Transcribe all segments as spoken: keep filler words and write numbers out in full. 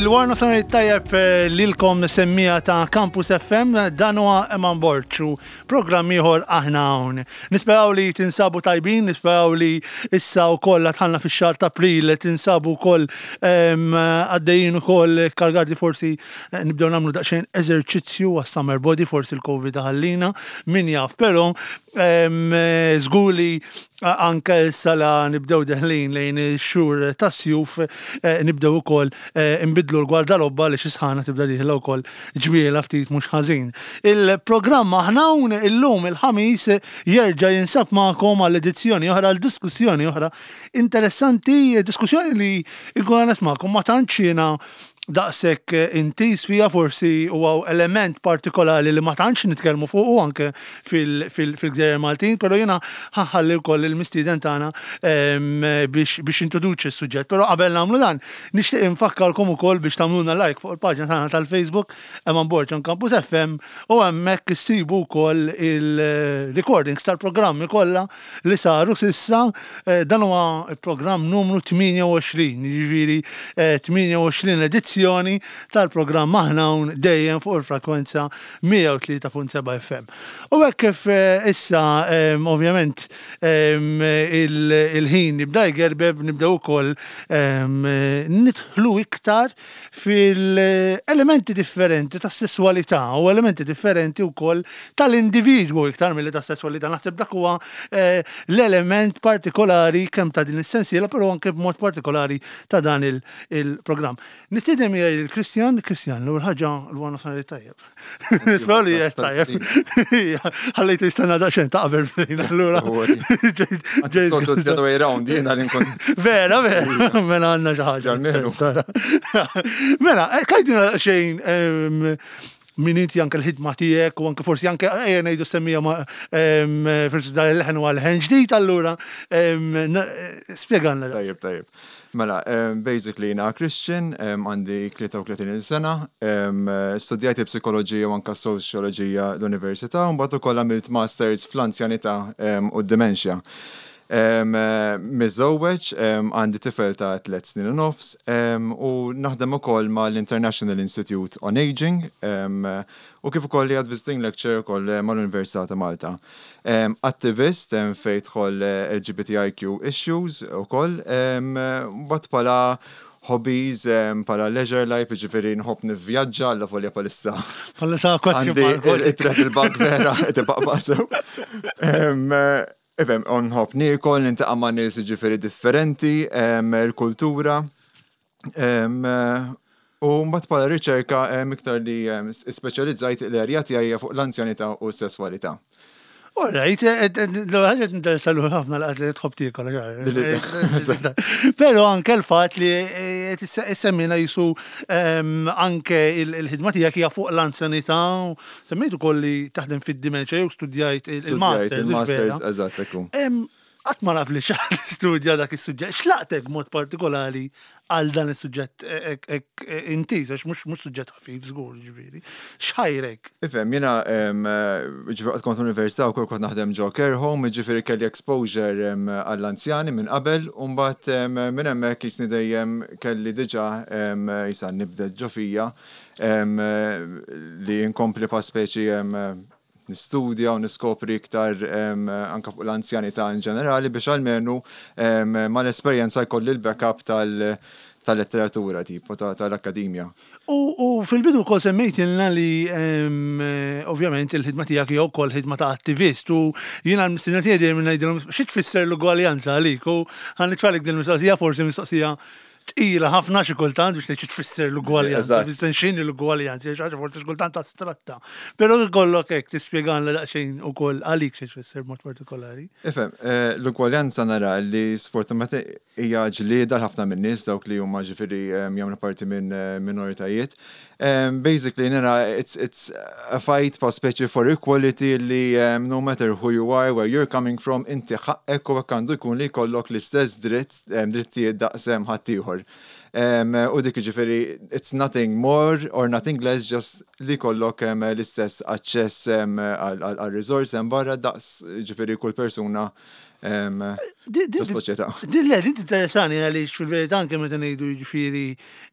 Il-wara nofsinhar tajjeb eh, lilkom semmiegħa ta' Campus F M, dan huwa Eman Borg u programm ieħor Aħna Hawn. Nisperaw li tinsabu tajbin, nisperaw li issa wkoll dħalna fix-xahar ta' April tinsabu wkoll għaddejjin ukoll kargati, forsi eh, nibdew nagħmlu daqsxejn eżerċizzju għas-summer body, forsi l-Covid ħallina, min jaf, però żgur li anke issa la nibdew deħlin lejn ix-xhur tas-sjuf eh, nibdew ukoll eh, nbidlu l-gwardarobba li xi sħana tibda dieħla wkoll ġmiela ftit mhux ħażin. Il-programm Aħna Hawn illum il-Ħamis jerġa' jinsab magħkom għal edizzjoni oħra, għal diskussjoni oħra interessanti, diskussjoni li nkun nismakom ma tantx jiena daqshekk intiż fija, forsi huwa element partikolari li ma tantx nitkellmu fuq anke fil-Gżejjer Maltin, però jiena ħa nħalli wkoll il-mistieden tagħna biex biex introduċi s-suġġett. Però qabel nagħmlu dan, nixtieq infakkarkom ukoll biex tagħmluna like fuq il-paġna tagħna tal-Facebook Eman Borg on Campus F M u hemmhekk issibu wkoll il-recordings tal-programmi kollha li saru s'issa. Eh, dan huwa il-programm numru tmienja u għoxrin, jiġifieri tmienja u għoxrin edizzjoni tal-programm Aħna Hawn, dejjem fuq il-frekwenza mija u tlieta punt sebgħa F M. U hekk kif eh, issa ovvjament il-ħin jibda jgerbeb, nibdew ukoll nidħlu iktar fil-elementi differenti ta' sessualità u elementi differenti wkoll tal-individwu iktar milli ta' sessualità. Naħseb dak huwa eh, l-element partikolari kemm ta' din is-sensiela, però anke b'mod partikolari ta' dan il-programm. Nistieden miegħi il-Kristjan. Kristjan, l-ewwel ħaġa, l-wara nofsinhar tajjeb. Nisperaw li qed tajjeb. Ħallejtu jistenna daqsxejn ta' qabel bdejna allura. Soltu the other way round, jiena li nkun. Vera, vera, mela għandna xi ħaġa. Mela, għidilna xejn min inti, anke l-ħidma tiegħek u anke forsi anke ejja ngħidu semmija ma forsi dan il-leħen huwa leħen ġdid, allura spjegalna. Tajjeb, tajjeb. Mela, basically jiena Christian, għandi tlieta u tletin sena, studjajt psikoloġija u anka soċjoloġija l-università, u mbagħad ukoll għamilt masters fl-anzjanità u d-dementia. Miżżewweġ, għandi tifel ta' tliet snin u nofs, u naħdem ukoll mal-International Institute on Aging, u kif ukoll li għad visiting lecture ukoll mal-Università ta' Malta. Attivist fejn tidħol L G B T I Q issues ukoll, but bħala hobbies, bħala leisure life, ġifieri nħobb nivvjaġġa, alla volja bħalissa. Bħalissa Għandi il-travel bug vera, tibqa' sew. Ifhem, nħobb niekol, niltaqa' ma' nies ġifieri differenti, il-kultura. U mbagħad bħala riċerka iktar li speċjalizzajt l-erja tiegħi fuq l-anzjanità u s-sesswalità. All right, l-ħaġa tinteressa l ħafna l li tħobb tiekol. Però anke l-fatt li semmina jisu anke il-ħidma tiegħek hija fuq l-anzjanità, semmejt ukoll li taħdem fid-dementia jew studjajt il-masters. Il-masters, eżatt, ekku. Qatt ma naf li xi ħadd studja dak is-suġġett. X'laqtek mod partikolari għal dan is-suġġett intiż, għax mhux mhux suġġett ħafif żgur, ġifieri. X'ħajrek? Ifhem, jiena ġifieri kont università u kont naħdem ġo care home, ġifieri kelli exposure għall-anzjani minn qabel, u mbagħad minn hemmhekk jisni dejjem kelli diġà jisa nibda ġo fija li nkompli pa speċi nistudja u niskopri iktar anka fuq l-anzjanità in ġenerali biex almenu mal-esperjenza jkolli l-backup tal- tal-letteratura tipo tal-akkademja. U fil-bidu kol semmejtilna li ovvjament il-ħidma tiegħek hija wkoll ħidma ta' attivist u jiena l-mistiedna tiegħi dejjem ngħidilhom xi tfisser l-ugwaljanza għalik, u ħa nitfagħlek din il-mistoqsija, forsi mistoqsija tqila ħafna xi kultant biex tgħid xi tfisser l-ugwaljanza, tfisser x'inhi l-ugwaljanza, xi ħaġa forsi xi kultant astratta. Però jkollok hekk tispjegalna daqsxejn ukoll għalik xi tfisser mod partikolari. Ifhem, eh, l-ugwaljanza nara li sfortunatament hija ġlieda ħafna minn nies dawk li huma ġifieri jagħmlu parti minn eh, minoritajiet. Um, basically, nara, it's, it's a fight pa speċi for equality li um, no matter who you are, where you're coming from, inti ħaqqek u għandu jkun li jkollok l-istess dritt, um, drittijiet daqsem ħaddieħor. Um, u dik ġifieri, it's nothing more or nothing less, just li jkollok um, l-istess aċċess um, għal resource hemm barra daqs ġifieri kull persuna Fis-soċjetà. Din le, din interessani għaliex fil-verità anke meta ngħidu, jiġifieri,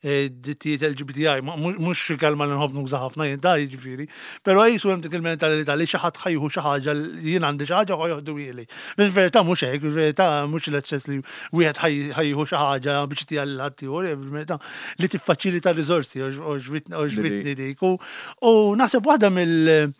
eh, drittijiet L G B T I, mhux xi kelma li nħobb nuża ħafna jien ta', jiġifieri, però jisu hemm dik il-mentalità li xi ħadd ħa jieħu xi ħaġa, li jien għandi xi ħaġa, ħa joħduhieli. Fil-verità mhux hekk, fil-verità mhux l-eċċess li wieħed ħa jieħu xi ħaġa biex tija lil ħaddieħor, fil-verità li tiffaċilita r-riżorsi, għoġbitni dik. U u naħseb waħda mill-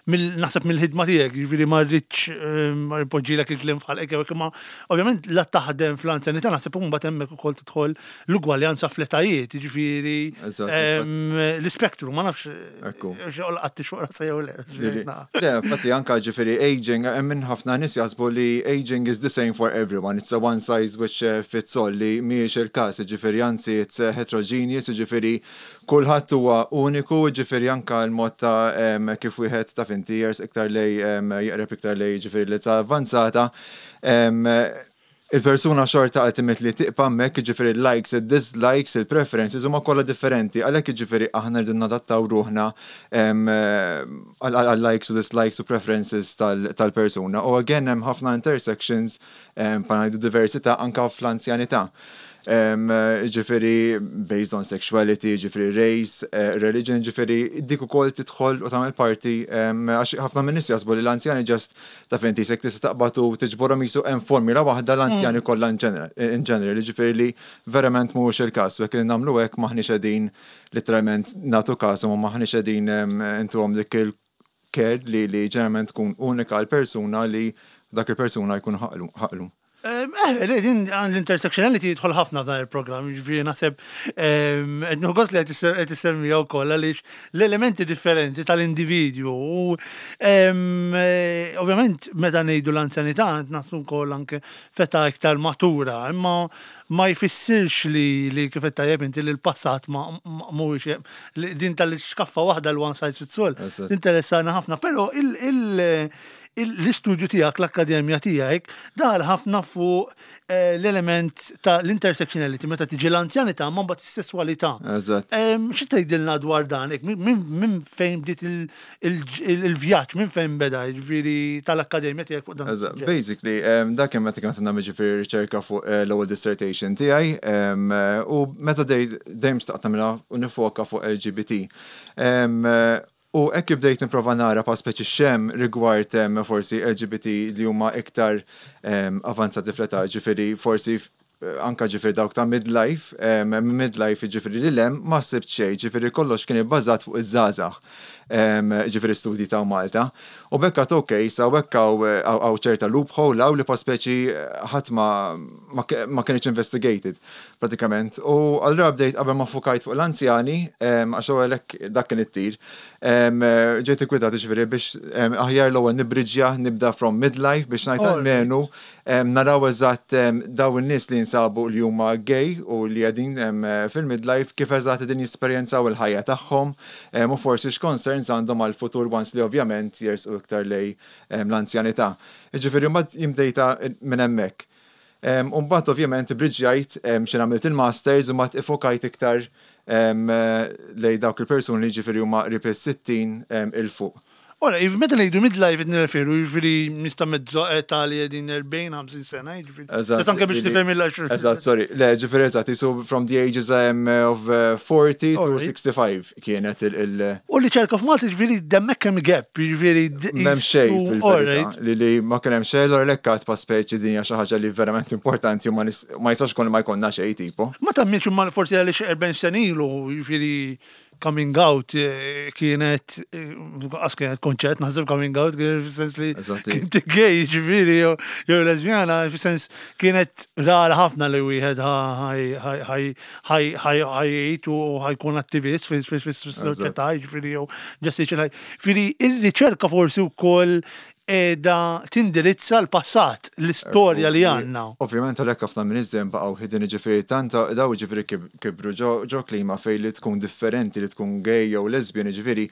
mill naħseb mill-ħidma tiegħek, jiġifieri ma rridx eh, ma npoġġilek il-kliem f'ħalqek, imma ovvjament la taħdem fl-anzjanità, naħseb imbagħad hemmhekk ukoll tidħol l-ugwaljanza fl-etajiet, jiġifieri Eżatt, em, l-ispektru, ma nafx Ekku. x'għol xogħol jew le. Li- Le, infatti anka ġifieri aging, hemm minn ħafna nies jaħsbu li aging is the same for everyone. It's a one size which uh, fits all, li mhijiex il-każ, ġifieri anzi it's uh, heterogeneous, ġifieri kulħadd huwa uniku, ġifieri anka l-mod ta' em, kif wieħed ta' finti jers iktar lej em, jeqreb iktar lej ġifieri li ta' avvanzata. em, Il-persuna xorta ultimately tibqa' hemmhekk, ġifieri likes, il-dislikes, il-preferences huma kollha differenti, għalhekk ġifieri aħna rridu nadattaw ruħna em, għal għal likes u dislikes u preferences tal- tal-persuna. U again hemm ħafna intersections em, pa ngħidu diversità anka fl-anzjanità. Em, Ġifieri based on sexuality, ġifieri race, eh, religion, ġifieri dik ukoll tidħol u tagħmel parti em, għax ħafna minn nies jaħsbu li l-anzjani just ta' finti sek tista' taqbad u tiġborhom jisu hemm formula waħda l-anzjani kollha in general, in general, ġifieri li verament mhuwiex il-każ, u jekk nagħmlu hekk maħniex qegħdin literalment nagħtu każ u maħniex qegħdin em, intuhom dik il-care li li ġeneralment tkun unika għal persuna li dak il-persuna jkun ħaqlu. ħaqlu. Eh, le, din l-intersectionality jidħol ħafna f'dan il-programm, ġifieri naħseb qed nieħu li qed issemmiha wkoll għaliex l-elementi differenti tal-individwu u em, eh, ovvjament meta ngħidu l-anzjanità qed naħsbu wkoll anke f'età iktar matura, imma ma jfissirx li li kif qed tajjeb inti li l-passat ma ma- mhuwiex li din tal-xkaffa waħda, l-one size fits all. Eżatt. Interessana ħafna, però il- il- il- l-istudju tiegħek, l-akkademja tiegħek, daħal ħafna fuq eh, l-element ta' l-intersectionality meta tiġi l-anzjanità ma mbagħad is-sesswalità. Eżatt. Em, Xi tgħidilna dwar dan? Ek, Minn min fejn bdiet il- il- il- il-vjaġġ, minn fejn beda, jiġifieri tal-akkademja tiegħek fuq dan? Eżatt, basically, um, dak kien meta kont nagħmel ġifieri riċerka fuq eh, l-ewwel dissertation tiegħi, um, eh, u meta dej- dejjem xtaqt nagħmilha u nifoka fuq L G B T. Um, eh, U hekk bdejt nipprova nara pa speċi x'hemm rigward um, forsi L G B T li huma iktar um, avanzati fl-età, ġifieri forsi f- anka ġifieri dawk ta' midlife, um, midlife ġifieri li lem ma sibt xejn, ġifieri kollox kien ibbażat fuq iż-żgħażagħ, um, ġifieri studji ta' Malta. U bekka ok, sa bekk hawn ċerta loophole hawn li pa speċi ħadd ma, ma, ma kienx investigated pratikament. U allura bdejt qabel ma fokajt fuq l-anzjani, um, għax għalhekk dak kien it-tir, um, ġejt ikkwitat ġifieri biex um, aħjar l-ewwel nibriġja nibda from midlife biex ngħid Alright. almenu um, naraw eżatt um, daw in-nies li jinsabu li huma gay u li qegħdin um, fil-midlife kif eżatt qegħdin jesperjenzaw il-ħajja tagħhom um, u forsi x'concerns għandhom għal-futur once li ovvjament jersqu iktar lej um, l-anzjanità. Ġifieri mbagħad jien bdejtha minn hemmhekk. Um, U mbagħad ovvjament briġġajt um, xi għamilt il-masters u mbagħad ifokajt iktar um, lej dawk il-persuni li ġifieri huma qrib is-sittin um, 'il fuq. Ora, meta ngħidu midlife qed nirreferu, jiġifieri nista' mezzo età li qegħdin erbgħin, ħamsin sena, jiġifieri. Eżatt. Just anke biex li- nifhem il- Eżatt, sorry. Le, ġifieri eżatt, so from the ages um, of uh, forty to Alright. sixty-five kienet il- il- U li ċerka f'Malta, ġifieri hemmhekk hemm gap, jiġifieri. M'hemm xejn jisu- fil-verità. Alright. Li li ma kien hemm xejn, l lekkat pa speċi din hija xi ħaġa li verament importanti u ma nis- ma jistax kun ma jkollna xejn tipo. Ma temminx imma forsi għaliex erbgħin sena ilu, jiġifieri coming out eh, kienet, eh, qas kienet konċett, naħseb coming out, kien fis-sens li Eżatti. kinti gay, ġifieri, jew jew lesbjana, fis-sens kienet rara ħafna li wieħed ħa jgħid u ħa jkun attivist fis-soċjetà, ġifieri jew just ħaj. Ġifieri ir-riċerka forsi wkoll qiegħda tindirizza l-passat, l-istorja li għandna. Ovvjament għalhekk ħafna minn iż baqgħu hidden, ġifieri tant daw ġifieri kib- kibru ġo ġo klima fej li tkun differenti, li tkun gay jew lesbian, ġifieri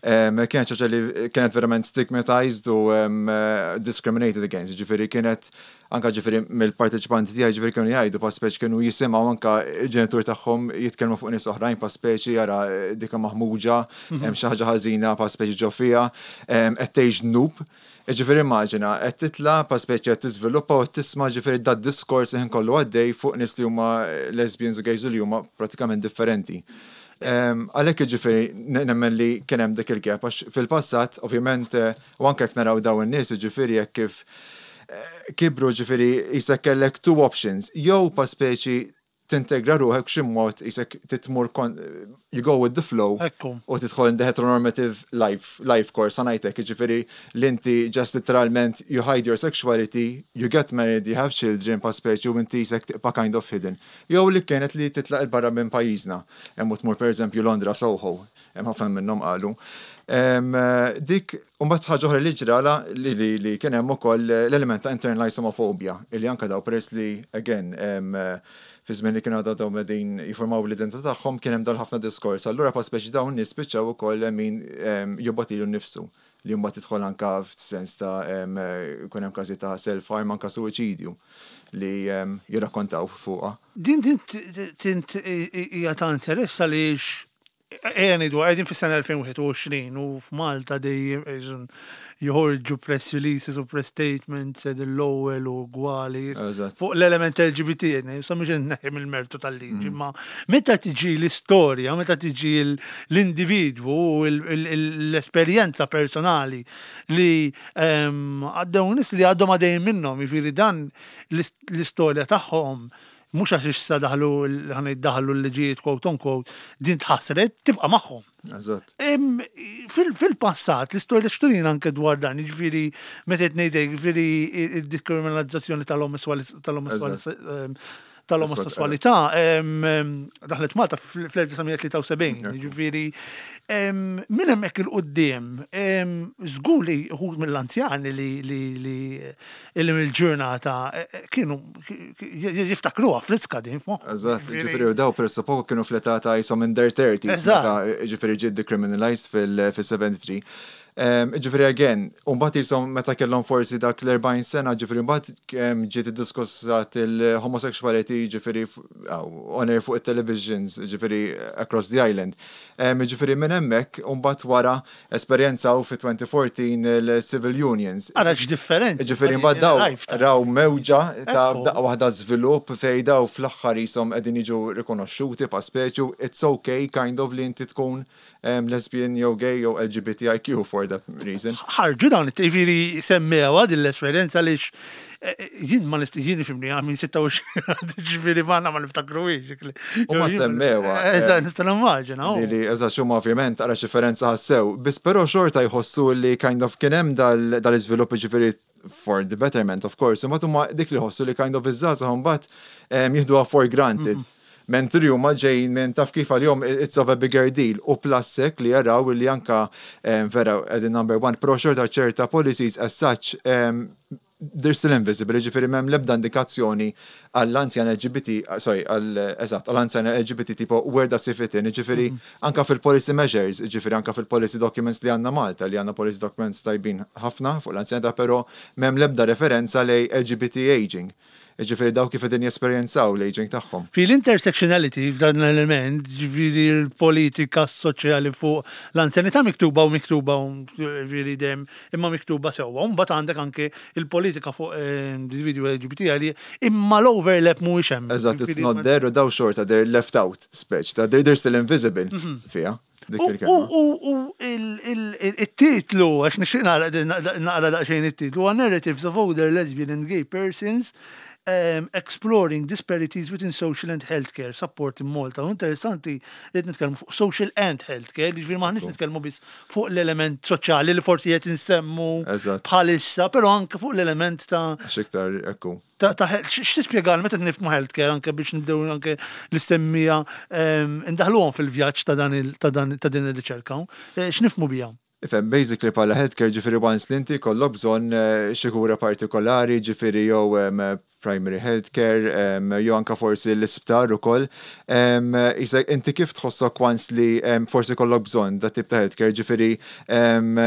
em, kienet xi ħaġa li kienet verament stigmatized u em, eh, discriminated against, ġifieri kienet Anka ġifieri mill-parteċipanti tiegħi ġifieri kienu jgħidu pa speċi kienu jisimgħu anka ġenitur tagħhom jitkellmu fuq nies oħrajn, pa speċi jara dika maħmuġa, hemm xi ħaġa ħażina pa speċi ġo fiha, qed tgħix dnub. Ġifieri immaġina, qed titla pa speċi qed tiżviluppa u tisma' ġifieri dad diskors ħin kollu għaddej fuq nies li huma lesbians u gays u li huma pratikament differenti. Għalhekk ġifieri nemmen li kien hemm dik il-gap, għax fil-passat, ovvjament, eh, u anke jekk naraw dawn in-nies, ġifieri jekk kif eh, kibru, ġifieri jisek kellek two options, jew pa speċi tintegra ruħek b'xi mod, jisek titmur you go with the flow Ekku. u tidħol in the heteronormative life, life course, ħa ngħidlek, ġifieri li inti just literalment you hide your sexuality, you get married, you have children, pa speċi u inti jisek tibqa' kind of hidden. Jew li kienet li titlaq 'il barra minn pajjiżna, hemm u tmur per eżempju Londra, Soho, hemm ħafna minnhom qalu. Em, Dik, u mbagħad ħaġa oħra li ġrala li, li, li kien hemm ukoll l-element ta' internalized homophobia, illi anka daw peress li again em, fi żmien li kienu għadha dawn qegħdin jiformaw l-identità tagħhom kien hemm dal ħafna diskors. Allura pa speċi dawn nies spiċċaw ukoll min em, jobgħod lilu nnifsu li mbagħad tidħol anka f'sens ta' em, jkun hemm każi ta' self-harm, anka suwiċidju li em, jirrakkontaw fuqha. Din din tint hija ta' interess għaliex ejja ngħidu qegħdin fis-sena elfejn u wieħed u għoxrin u f'Malta dejjem eżun joħorġu press releases u press statements ed l-ewwel u gwali Eżatt. fuq l-element L G B T, sa mhux inneħħi mill-mertu tal-liġi, ma meta tiġi l-istorja, meta tiġi l- l-individwu u l- l- l-esperjenza personali li em, għaddew nies li għadhom għaddejjin minnhom, jiġifieri dan l-ist- l-istorja tagħhom mhux għax issa daħlu ħa daħlu l-liġijiet, quote unquote, din tħassret, tibqa' magħhom. Eżatt. Em, fil- Fil-passat, l-istorja x'turina anke dwar dan, jiġifieri meta qed ngħidlek, jiġifieri id-dikriminalizzazzjoni tal-omosessualità tal-omosessualità em, em, daħlet Malta fl-elf disa' mija tlieta u sebgħin, jiġifieri em, minn hemmhekk 'il quddiem, em, żgur li uħud mill-anzjani li li li li mill-ġurnata eh, eh, kienu jiftakruha friska din f'moħħhom. Eżatt, ġifieri u daw pressappoco kienu fl-età ta' jisom in their thirties, Eżatt. meta ġifieri ġiet decriminalized fil-sebgħa u sebgħin. Um, ġifieri again, u mbagħad jisom meta kellhom forsi dak l-erbgħin sena, ġifieri mbagħad um, ġiet iddiskussat il-homosexuality ġifieri f- aw, on air fuq it-televisions, ġifieri across the island. Um, ġifieri minn hemmhekk, u mbagħad wara esperjenzaw fi elfejn u erbatax il-civil unions. Ara x'differenti. Ġifieri mbagħad daw Lifetime. raw mewġa ta' Ekku. daqqa waħda żvilupp fej daw fl-aħħar jisom qegħdin jiġu rikonoxxuti pa speċu it's okay kind of li inti tkun um, lesbian jew gay jew L G B T I Q for that reason. Ħarġu dawn, ġifieri semmewa din l-esperjenza għaliex eh, jien ma nist jien fimni għamin sitta u għoxrin, ġifieri ma ma niftakruhiex. U ma semmewha, Eżatt, eh, nista' nimmaġina. Li li eżatt xumma ovvjament ara differenza ħassew, biss però xorta jħossu li kind of kien hemm dal- dal-iżvilupp ġifieri for the betterment, of course, imma huma dik li ħossu li kind of iż-żgħażagħ mbagħad em, jieħduha for granted. Mentri huma ġejjin minn taf kif għalihom it's of a bigger deal u plus hekk li jaraw li anka em, vera qegħdin number one, però xorta ċerta policies as such em, they're still invisible, ġifieri m'hemm l-ebda indikazzjoni għall-anzjan L G B T, uh, sorry, għall, eżatt, għall-anzjan L G B T tipo where does it fit in, ġifieri anka fil-policy measures, ġifieri anka fil-policy documents li għandna Malta, li għandna policy documents tajbin ħafna fuq l-anzjanità, però m'hemm l-ebda referenza lej L G B T aging. Ġifieri daw kif qegħdin jesperjenzaw l-aging tagħhom. Fi l-intersectionality f'dan l-element, ġifieri l-politika soċjali fuq l-anzjanità miktuba u miktuba u ġifieri dem imma miktuba sewwa. Mbagħad għandek anke il-politika fuq eh, individwi L G B T li imma l-overlap mhuwiex hemm. Eżatt, it's Ġifieri not there u daw xorta, they're left out, speċ, ta' they're, they're still invisible fija. Dik U il-kelma. u u il- il- il- il-titlu, għax nixtieq naqra naqra daqsxejn it-titlu, huwa Narratives of Older Lesbian and Gay Persons um, Exploring Disparities Within Social and Healthcare Support in Malta. U interessanti li qed nitkellmu fuq social and healthcare, jiġifieri m'aħniex nitkellmu biss fuq l-element soċjali li forsi qed insemmu Eżatt. bħalissa, però anke fuq l-element ta' Għax iktar, ekku. ta' ta' x'tispjega meta nifhmu healthcare anke biex nibdew anke l-istemmija em, indaħluhom fil-vjaġġ ta' dan il- ta' dan ta' din ir-riċerka. Eh, X'nifhmu biha? Ifhem, basically bħala healthcare ġifieri once li inti kollok bżonn eh, xi kura partikolari, ġifieri jew em, primary healthcare, em, jew anka forsi l-isptar ukoll. Em, Isa, inti kif tħossok once li em, forsi kollok bżonn dat tip ta' healthcare, ġifieri em,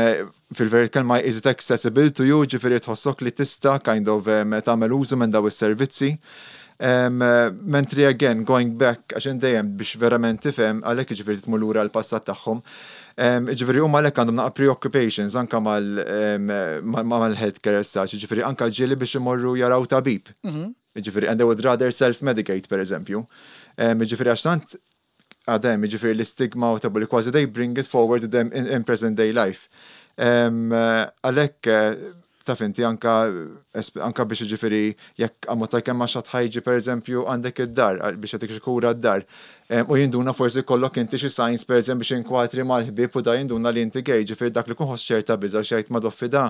Fil-verit kelma, is it accessible to you, ġifieri tħossok li tista' kind of um, tagħmel użu minn daw is-servizzi. Um, mentri again, going back, għax dejjem biex verament tifhem, għalhekk ġifieri tmur lura l-passat tagħhom. Um, ġifieri huma għalhekk għandhom naqa preoccupations anka mal-healthcare as such, ġifieri anka ġieli biex imorru jaraw tabib. Mhm. Ġifieri, and they would rather self-medicate, per eżempju. Um, ġifieri għax tant għadem, ġifieri l-istigma u tabu li kważi they bring it forward to them in, in present day life. Għalhekk, taf inti, anka, anka biex ġifieri jekk għamma tal-kemm ma xi ħadd ħa jiġi, per eżempju, għandek id-dar biex jagħtik xi kura d-dar. U jinduna forsi kollok inti xi signs, per eżempju, biex inkwatri mal-ħbieb u da jinduna li inti gay, ġifieri dak li kun ħoss ċerta biża' xejt ma doffi da.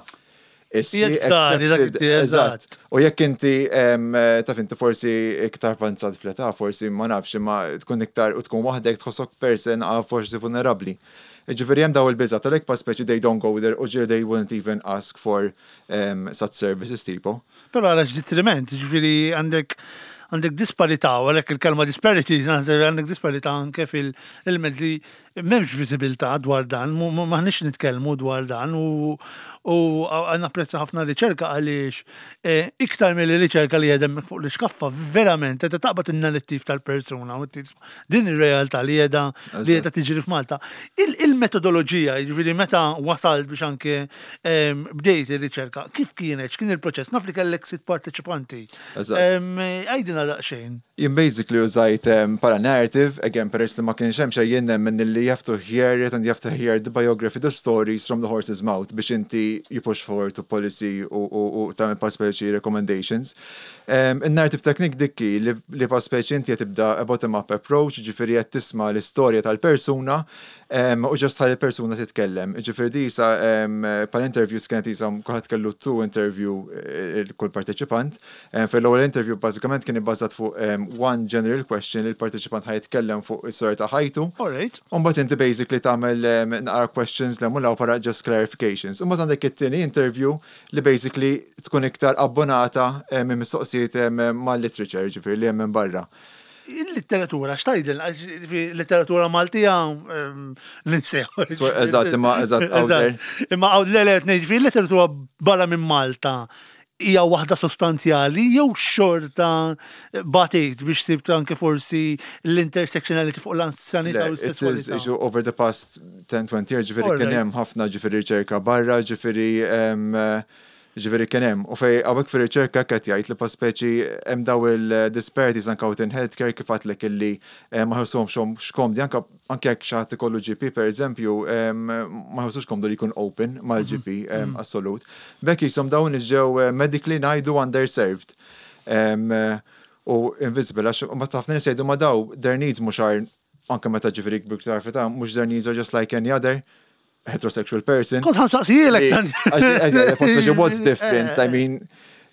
Eżatt. U jekk inti, taf inti, forsi iktar avanzat fl-età, forsi ma nafx, ma tkun iktar u tkun waħdek, tħossok person forsi vulnerabbli. Ġifieri hemm daw il-biża tal pa speċi they don't go there u ġieli they wouldn't even ask for um, such services tipo. Però għalax detriment, ġifieri għandek għandek disparità, u għalhekk il-kelma disparity, għandek disparità anke fil-element li m'hemmx viżibilità dwar dan, m'aħniex nitkellmu dwar dan u u napprezza ħafna riċerka għaliex eh, iktar mill riċerka li jedem fuq l-iskaffa, verament, qed taqbad in-narrattiv tal-persuna u din ir-realtà li qiegħda li qiegħda tiġri f'Malta. Il-metodoloġija, jiġifieri meta wasalt biex anke bdejt ir-riċerka, kif kienet, x'kien il-proċess? Naf li kellek sitt parteċipanti. Għidilna daqsxejn. Jien basically użajt para narrative, again, peress li ma kienx hemm xejn, jien nemmen li you have to hear it and you have to hear the biography, the stories from the horse's mouth biex inti you push forward to policy u, u, u tagħmel pa speċi recommendations. Um, Il-narrative technique dikki li, li pa speċi inti qed tibda a bottom-up approach, ġifieri qed tisma' l-istorja tal-persuna um, u just ħalli l-persuna titkellem. Ġifieri di sa um, pal interviews kienet isa kulħadd kellu two interview eh, kull parteċipant. Um, Fil-ewwel interview bażikament kien ibbażat fuq um, one general question li l-parteċipant ħa jitkellem fuq is-storja ta' ħajtu. Alright. Umbagħad inti basically tagħmel um, naqra questions li mulaw para just clarifications. Umbagħad għandek it-tieni interview li basically tkun iktar abbonata um, minn mistoqsijiet um, mal-literature, ġifieri li hemm minn barra. Il-litteratura, x'tgħidil, letteratura Maltija ninsew. Eżatt, imma eżatt out there. Imma għaw le le ngħid letteratura barra minn Malta hija waħda sostanzjali jew xorta batejt biex sibt anke forsi l-intersectionality fuq l-anzjanità u It is s-sessualità? Issue over the past ten twenty years, ġifieri kien Alright. hemm ħafna ġifieri riċerka barra, ġifieri em, ġifieri kien hemm. U fej hawnhekk fir-riċerka qed jgħid li pa speċi hemm daw il-disparities anke out in healthcare, kif għedtlek illi eh, ma ħossuhomx komdi anke anke jekk xi ħadd ikollu G P, per eżempju, em, ma ħossux komdu li jkun open mal-G P em, assolut. Bekk jisom dawn ġew eh, medically, ngħidu, underserved. Em, eh, u invisible, għax ma ħafna nies jgħidu ma daw their needs mhux are anke meta ġifieri biktar fita mhux their needs are just like any other heterosexual person. Kont ħa nsaqsihielek dan. Speċi what's different, I mean,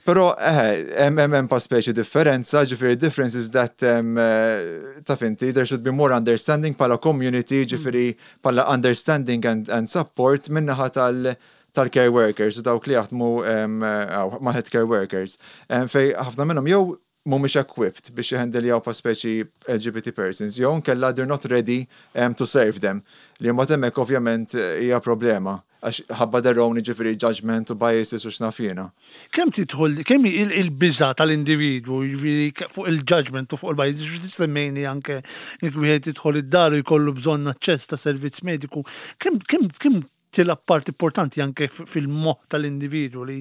pero eh, hemm hemm hemm pa speċi differenza, ġifieri difference is that um, eh, taf inti, there should be more understanding pala community, ġifieri pala understanding and, and support minnaħa tal tal-care workers, u dawk li jaħdmu um, eh, ma' healthcare workers. Um, fej ħafna minnhom jew mhumiex equipped biex jhandiljaw pa speċi L G B T persons, jew nkella they're not ready um, to serve them. Li mbagħad hemmhekk ovvjament eh, hija problema għax ħabba their own ġifieri judgment u biases u x'naf jiena. Kemm tidħol, kemm il- il-biża tal-individwu, jiġifieri fuq il-judgment u fuq il-bias, ġifieri semmejni anke jekk wieħed jidħol id-dar u jkollu bżonn aċċess ta' servizz mediku, kemm kemm kemm tilgħab part importanti anke f- fil-moħħ tal-individwu li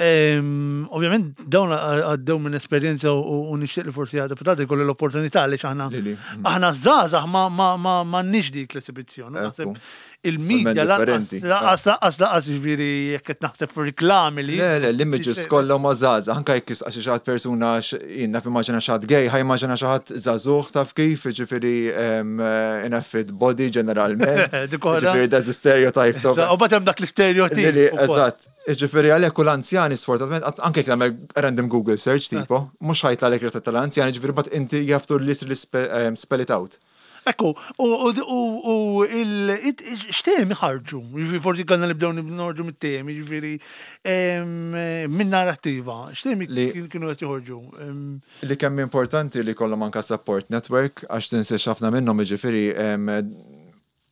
ehm, ovvjament dawn għaddew minn esperjenza u u nixtieq li forsi għadha deputati jkollu l-opportunità li aħna Li li, aħna żgħażagħ ma ma ma m'għandniex dik l-esibizzjoni. Naħseb Ekku. il-medja Totalment lanqas differenti. lanqas lanqas lanqas, ġifieri jekk qed naħseb fuq riklami li Le, le, l-images kollha ma żgħażagħ, anke jekk għax xi ħadd persuna jien naf immaġina xi ħadd gay, ħa jimmaġina xi ħadd żagħżugħ, taf kif, ġifieri em, in a fit body ġeneralment. Dik oħra. Ġifieri there's a stereotype of U batem dak l-stereotip. Lili, ukoll. eżatt. Ġifieri għalhekk u l-anzjani sfortunatament, għat- anke jekk tagħmel random Google search tipo, mhux ħa jitlagħlek ritratt tal-anzjani, ġifieri but inti you have to literally spe- em, spell it out. Ekku, u u u il it- x'temi ħarġu? Jiġifieri forsi kellna nibdew norġu mit-temi, jiġifieri em, minn narrattiva. X'temi Li- kien- kienu qed joħorġu? Em, Li kemm importanti li kollhom anka support network, għax tinsiex ħafna minnhom, ġifieri em,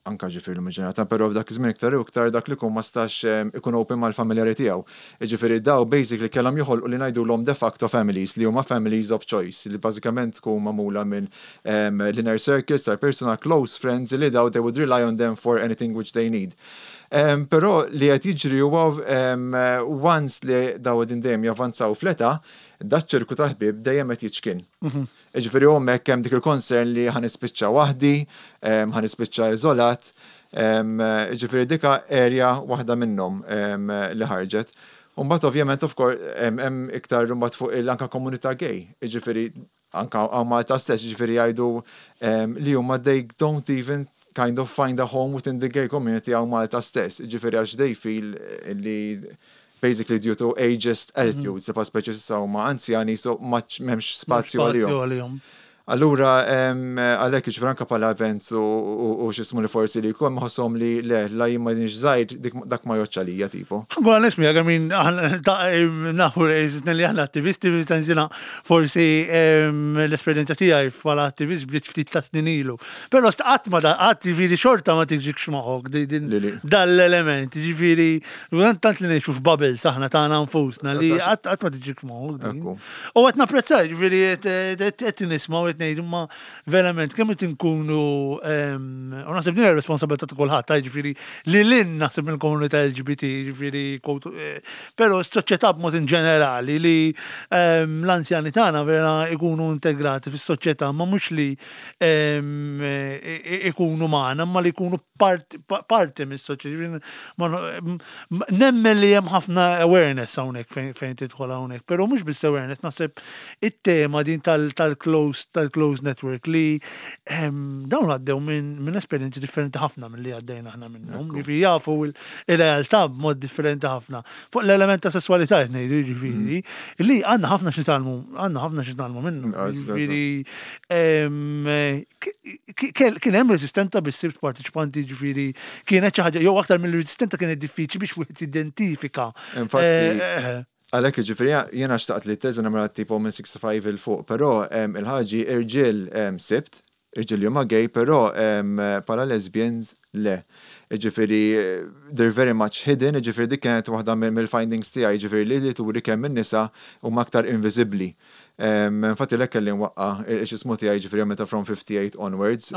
Anka ġifieri l-ġenerata, però f'dak iż-żmien iktar u iktar dak li kun ma stax ikun open mal-familjari tiegħu. Ġifieri daw basically kellhom joħolqu li ngħidulhom de facto families, li huma families of choice, li bażikament tkun magħmula minn l-inner circles, tar personal close friends, li daw they would rely on them for anything which they need. Um, però li qed jiġri huwa um, once li daw din dejjem javvanzaw fl-età, daċ-ċirku ta' ħbieb dejjem qed jiċkien. Mhm. Ġifieri hemmhekk hemm dik il-concern li ħa nispiċċa waħdi, ħa nispiċċa iżolat, ġifieri dika area waħda minnhom li ħarġet. Umbagħad ovvjament, of course, hemm iktar mbagħad fuq il-anka komunità gay, ġifieri anka hawn Malta stess, ġifieri jgħidu li huma they don't even kind of find a home within the gay community hawn Malta stess. Ġifieri għax they feel li basically due to ageist attitudes, mm. speċi issa huma anzjani, so much m'hemmx spazju għalihom. Allura, għalhekk ġifieri anka bħala events u x'jismu li forsi li jkun maħossom li le, la jien ma żgħir, dak ma joċċa lija tipo. Għu nismi, għamin nafu li aħna attivisti, fil forsi l-esperienza tiegħi bħala attivist bdiet ftit ta' snin ilu. Però qatt ma da qatt, ġifieri, xorta ma tiġikx moħħok dal-element, ġifieri, tant li ngħixu f'bubbles aħna tagħna nfusna li qatt ma tiġikx moħħok. U qed napprezza, ġifieri, qed nisma' qed ngħidu ma verament kemm qed inkunu, u naħseb din ir-responsabilità ta' kulħadd, ġifieri li lin naħseb mill-komunità L G B T, ġifieri, eh, però s-soċjetà b'mod in ġenerali, li l-anzjani tagħna vera ikunu integrati fis-soċjetà, ma mhux li ikunu magħna, ma li jkunu parti mis-soċjetà. Nemmen li hemm ħafna awareness hawnhekk fejn tidħol hawnhekk, però mhux biss awareness, naħseb it-tema din tal-close tal-close network li dawn għaddew minn esperjenzi differenti ħafna mill-li għaddejna aħna minnhom. Ġifieri jafu il-realtà b'mod differenti ħafna. Fuq l-element ta' sessualità qed ngħidu, ġifieri, li għandna ħafna xi nitgħallmu, għandna ħafna xi nitgħallmu minnu. Ġifieri kien hemm resistenza biex sibt partiċipanti, ġifieri kienet xi ħaġa jew aktar mill-resistenza kienet diffiċli biex wieħed identifika. Infatti, eh, eh, għalhekk ġifieri jena xtaqt li t-teża nagħmilha tipo minn sixty-five 'il fuq, però il-ħaġi irġiel sibt, irġiel li huma gay, però bħala lesbians le. Ġifieri, they're very much hidden, ġifieri dik kienet waħda mill-findings tiegħi, ġifieri li li turi kemm in-nisa huma aktar inviżibbli. Infatti lek kelli nwaqqa' x'jismu tiegħi, ġifieri meta from fifty-eight onwards.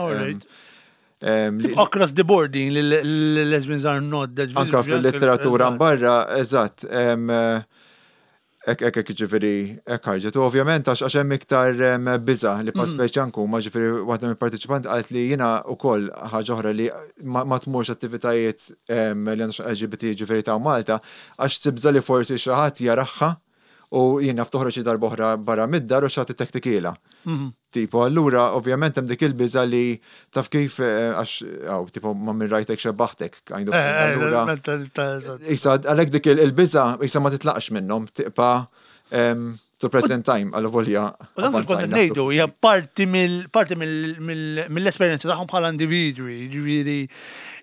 Across the board, lesbians are not that Anka fil-letteratura barra, eżatt. Ek, ek, ek, ġifieri, ek ħarġet. U ovvjament, għax għax hemm iktar biża li pa mm. speċi anku, ma ġifieri waħda mill-partiċipant qalt li jiena ukoll ħaġa oħra li ma tmurx attivitajiet li għandu L G B T, ġifieri ta' Malta, għax tibża li forsi xi ħadd jaraha u jien naf toħroġ darba oħra barra mid-dar u xi ħadd ittektikhielha. Mhm. Tipo, allura, ovvjament, hemm dik il-biża li taf kif eh, għax, għaw, tipo, ma minn rajtek xebbaħtek. Kind of, eh, eh, allura, Issa, għalhekk dik il-biża, issa ma titlaqx minnhom, tibqa' to present time, għallu volja. U dan kif konna ngħidu, hija parti mill parti mill-esperjenza tagħhom bħala individwi, ġifieri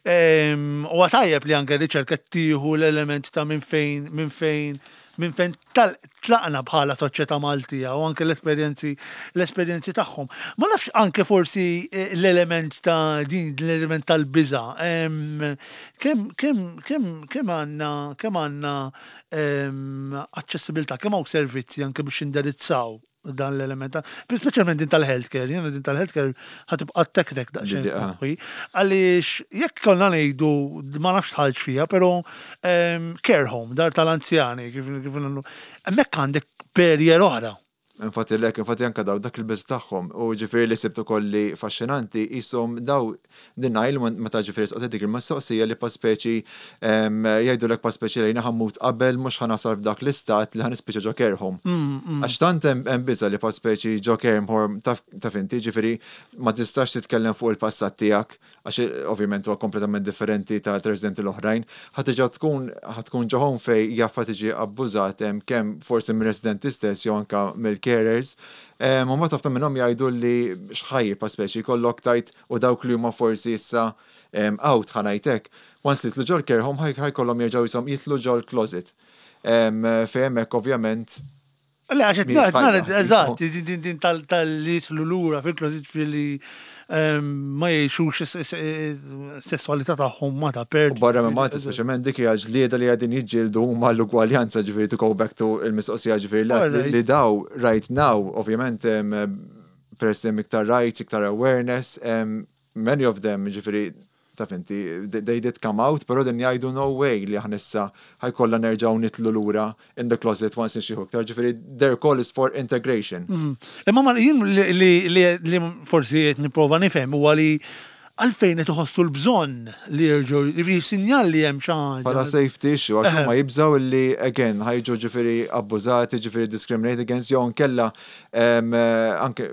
u għatajjeb li anke riċerka tieħu l-element ta' minn fejn minn fejn minn fejn tlaqna bħala soċjetà Maltija u anke l-esperjenzi l-esperjenzi tagħhom. Ma nafx anke forsi eh, l-element ta' din l-element tal-biża. Kemm kemm kemm kemm għandna kemm għandna aċċessibilità, kemm hawn servizzi anke biex indirizzaw dan l-element, speċjalment din tal-healthcare, jiena din tal-healthcare ħa tibqa' teknek daqsxejn. Għaliex jekk konna ngħidu, ma nafx tħalġ fija, però care home, dar tal-anzjani, kif hemmhekk għandek barrier oħra. Infatti lek, infatti anka daw dak il-biż tagħhom u ġifieri li sibtu kolli faxxinanti jisom daw denial meta ġifieri saqset dik il-mistoqsija li pa speċi jgħidu lek pa speċi lejna ħa mmut qabel mhux ħa nasal f'dak l-istat li ħa nispiċċa ġo care home. Mm, mm. Għax tant hemm biża li pa speċi ġo care home, taf inti, ġifieri ma tistax titkellem fuq il-passat tiegħek għax ovvjament huwa kompletament differenti ta' residenti l-oħrajn, ħa tiġa tkun ħa tkun ġo home fej jaffa tiġi abbużat kemm forsi mir-residenti stess jew anka mill-carers. Ma ma tafta minnhom jgħidu li xħajji pa speċi kollok tajt u dawk li huma forsi issa out, ħa ngħidlek. Once li jidħlu ġol care home ħa jkollhom jerġgħu jisom jidħlu ġol closet. Fejn hemmhekk ovvjament Le, għax qed ngħid, eżatt, din tal-li jidħlu lura fil-closet fili ma jgħixux sessualità tagħhom ma ta' per. U barra minn Malta, speċjalment dik hija ġlieda li qegħdin jiġġieldu huma l-ugwaljanza, ġifieri to go back to il-mistoqsija, ġifieri li daw right now, ovvjament peress hemm iktar rights, iktar awareness, many of them, ġifieri taf inti, they did come out, pero din jgħidu no way li aħna issa ħa jkollna nerġgħu nitilgħu lura in the closet once nixjieħu iktar, ġifieri their call is for integration. Imma ma jien li forsi qed nipprova nifhem huwa li għalfejn qed iħossu l-bżonn li jerġgħu, jiġifieri sinjal li hemm xi ħaġa. Bħala safety issue, għax huma jibżgħu li again ħa jiġu ġifieri abbużati, ġifieri discriminate against, jew nkella anke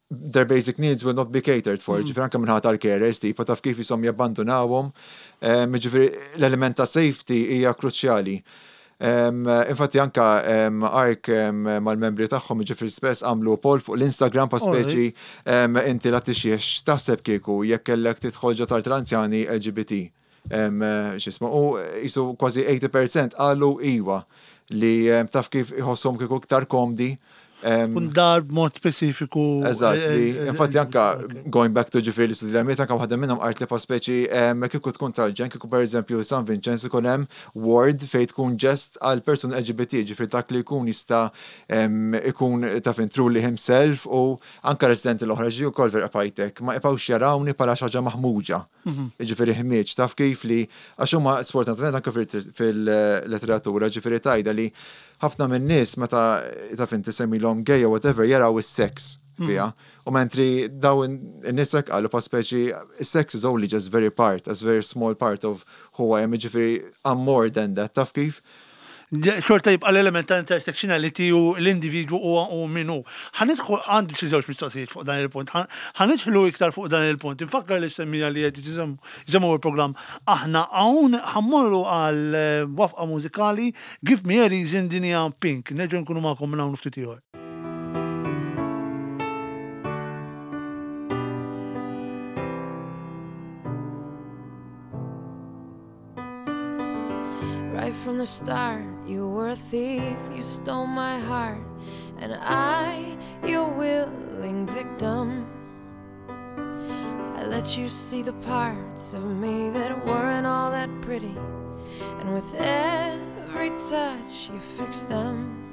their basic needs will not be catered for. Ġifieri anke minħabba tal-carers, tipo taf kif jisom jabbandunawhom. Ġifieri l-element ta' safety hija kruċjali. Infatti anka ARC mal-membri tagħhom, ġifieri spess għamlu poll fuq l-Instagram pa' speċi inti la tixjiex taħseb kieku jekk kellek tidħol ġo dar tal-anzjani L G B T. X'ismu, u jisu kważi tmenin fil-mija qalu iwa li taf kif iħosshom kieku iktar komdi. Un dar b'mod speċifiku. Eżatt, infatti anka going back to ġifieri l-istudji li għamilt, anka waħda minnhom qalt li pa speċi kieku tkun tal-ġenn kieku per eżempju San Vincenz ikun hemm ward fejn tkun just għal person L G B T, ġifieri dak li jkun jista' ikun taf truly himself u anka residenti l-oħra ġi wkoll vera pajtek, ma jibqgħux jarawni bħala xi ħaġa maħmuġa. Ġifieri ħmieġ, taf kif li għax huma sfortunatament anka fil-letteratura ġifieri tajda li ħafna minn nies meta taf inti semmilhom gay or whatever jaraw is-sex fiha. U mentri daw in-nies hekk qalu pa speċi sex is only just very part, a very small part of who I am, ġifieri I'm more than that, taf kif? Xorta jibqa l-element ta' intersectionality u l-individwu u u minu. Ħa nidħlu, għandi xi żewġ mistoqsijiet fuq dan il-punt. Ħa nidħlu iktar fuq dan il-punt. Infakkar li semmija li qed jisimgħu il-programm. Aħna hawn ħa mmorru għal eh, waqfa mużikali, Give Me a Reason, din hija Pink. Nerġgħu nkunu magħkom minn hawn ftit ieħor. Right from the start, you were a thief, you stole my heart, and I, your willing victim. I let you see the parts of me that weren't all that pretty, and with every touch, you fixed them.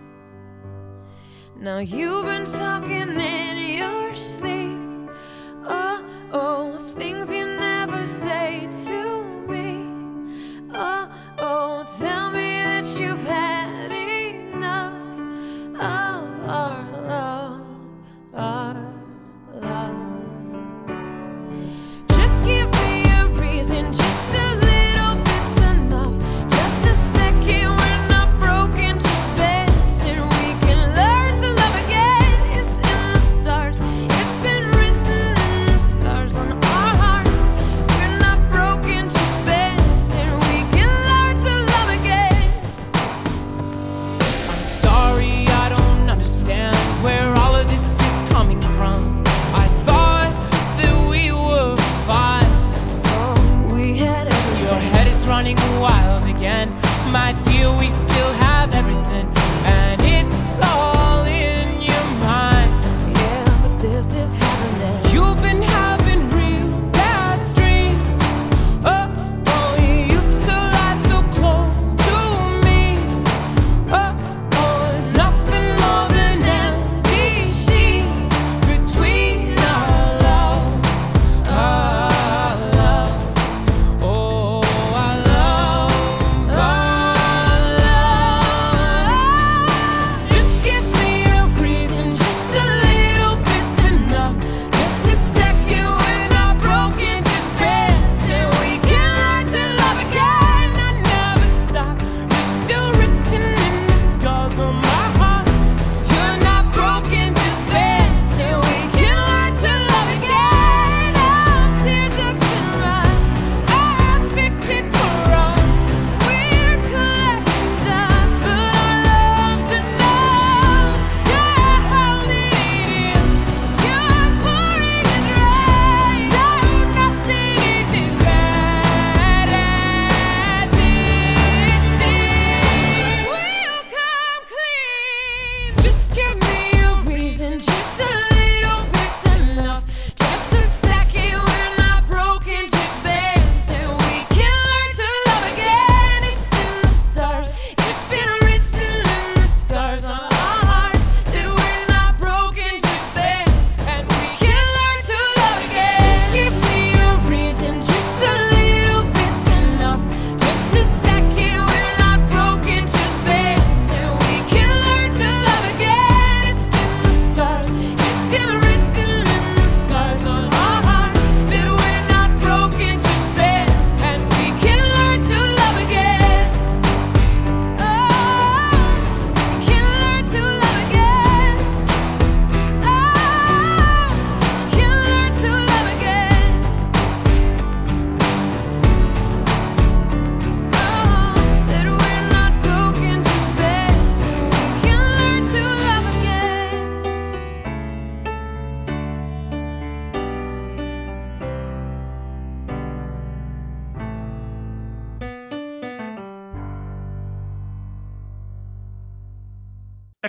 Now you've been talking in your sleep. Oh, oh, things you never say to me. Oh, oh, tell me that you've had enough of our love, our love. Just give me a reason, just a little bit's enough. Just a second, we're not broken, just bent, and we can learn to love again. It's in the stars, it's been written in the scars on our hearts. We're not broken, just bent, and we can learn to love again. I'm sorry, I don't understand where all of this is coming from. I thought that we were fine. Oh, we had everything. Your head is running wild again. My dear, we still have everything, and it's all in your mind. Yeah, but this is happening. You've been having real bad dreams. Oh, oh, you used to lie so close to me. Oh, oh, there's nothing more than empty sheets between our love, our love. Oh, our love, our love. Just give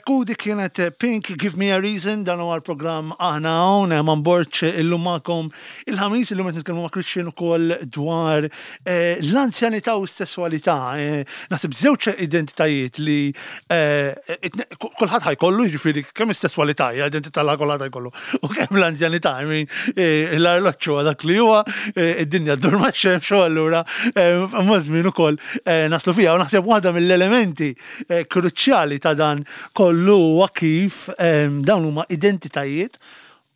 Ekku, dik kienet Pink, "Give Me a Reason". Dan huwa l-programm Aħna Hawn, Eman Borg illum magħkom il-Ħamis, illum qed nitkellmu ma' Christian ukoll dwar eh, l-anzjanità u s-sessualità. Eh, Naħseb żewġ identitajiet li eh, itne- kulħadd ħa jkollu, jiġifieri kemm is-sessualità hija identità la kulħadd ħa jkollu u kemm l-anzjanità, I mean, eh, l-arloġġu huwa dak li huwa, eh, id-dinja ddur max-xemx u allura eh, ma' żmien ukoll eh, naslu fiha u naħseb waħda mill-elementi eh, kruċjali ta' dan kollu huwa kif em, dawn huma identitajiet,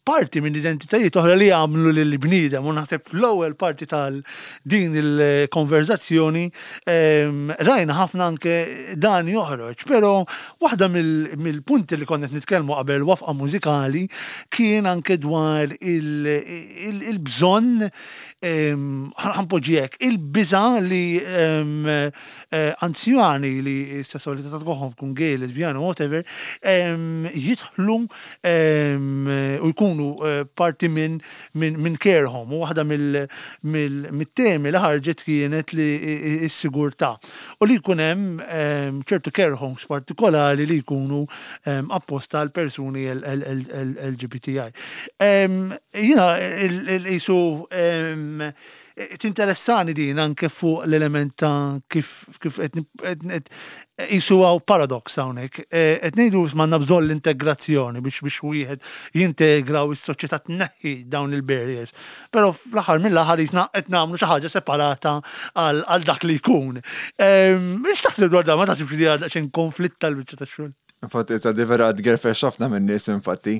parti minn identitajiet oħra li jagħmlu lil bniedem, u naħseb fl-ewwel parti tal din il-konverzazzjoni em, rajna ħafna anke dan joħroġ, però waħda mill- mill-punti li konna qed nitkellmu qabel waqfa mużikali kien anke dwar il- il- il-bżonn, em, ħa npoġġi hekk, il-biża li em, eh, anzjani li s-sessualità tagħhom tkun gay, lesbjana, whatever, em, jidħlu em, u jkunu eh, parti minn min, min care home. U waħda mill-temi li ħarġet kienet li s-sigurtà. U li jkun hemm em, ċertu care homes partikolari li jkunu em, apposta għal persuni L G B T I. Em, Jiena il-jisu tinteressani din anke fuq l-element ta' kif kif qed qed- jisu hawn paradox hawnhekk. Eh, Qed ngħidu m'għandna bżonn l-integrazzjoni biex biex wieħed jintegra u s-soċjetà tneħħi dawn il-barriers. Però fl-aħħar mill-aħħar jisna qed nagħmlu xi ħaġa separata għal għal dak li jkun. Ehm, X'taħseb dwar dan? Ma taħsibx li għadha xejn konflitt tal-biċċa tax-xogħol? Infatti, issa di vera tgerfex ħafna minn nies infatti.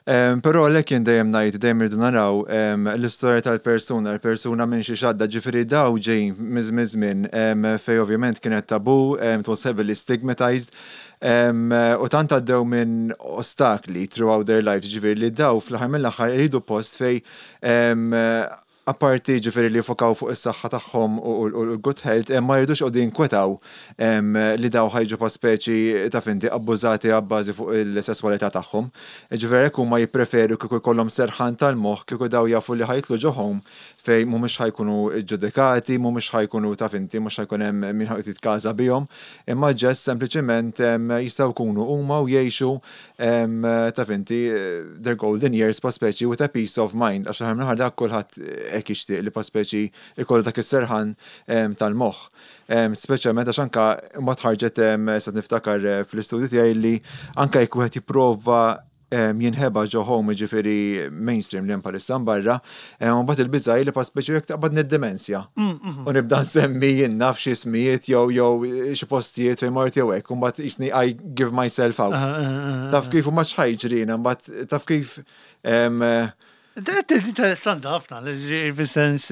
Um, Però għalhekk jien dejjem ngħid, dejjem irridu naraw um, l-istorja tal-persuna, l-persuna minn xi xadda, ġifieri daw ġejjin minn żmien um, fej ovvjament kienet tabu, um, it was heavily stigmatized. Um, u tant għaddew minn ostakli throughout their lives, ġifieri li daw fl-aħħar mill-aħħar iridu post fej um, apparti ġifieri li fokaw fuq is-saħħa tagħhom u l-good health, ma jridux joqogħdu jinkwetaw em, li daw ħa jiġu pa speċi ta' finti abbużati abbażi fuq il-sesswalità tagħhom. Ġifieri hekk huma jippreferu kieku jkollhom serħan tal-moħħ kieku daw jafu li ħa jitilgħu ġo home fej mhumiex ħa jkunu ġudikati, mhumiex ħa jkunu ta' finti, mhux ħa jkun hemm min ħa jitkaża bihom, imma ġest sempliċement em, jistgħu jkunu huma u jgħixu em, ta' finti their golden years pa speċi with a peace of mind, għax aħna dak kulħadd hekk jixtieq li pa speċi ikollu dak is-serħan em, tal-moħħ. Em, Speċjalment għax anka mbagħad ħarġet em, sa niftakar eh, fl-istudju tiegħi li anka jekk wieħed jipprova em, jinħeba ġo home, ġifieri mainstream li hemm bħalissa barra, em, u mbagħad il-biża' li pa speċi jekk taqbad nid-demenzja. U nibda nsemmi jien naf xi ismijiet jew jew xi postijiet fejn mort jew hekk, u mbagħad jisni I give myself out. Taf kif u ma x'ħa jiġrina, mbagħad taf kif em, Interessanti ħafna, li fis-sens.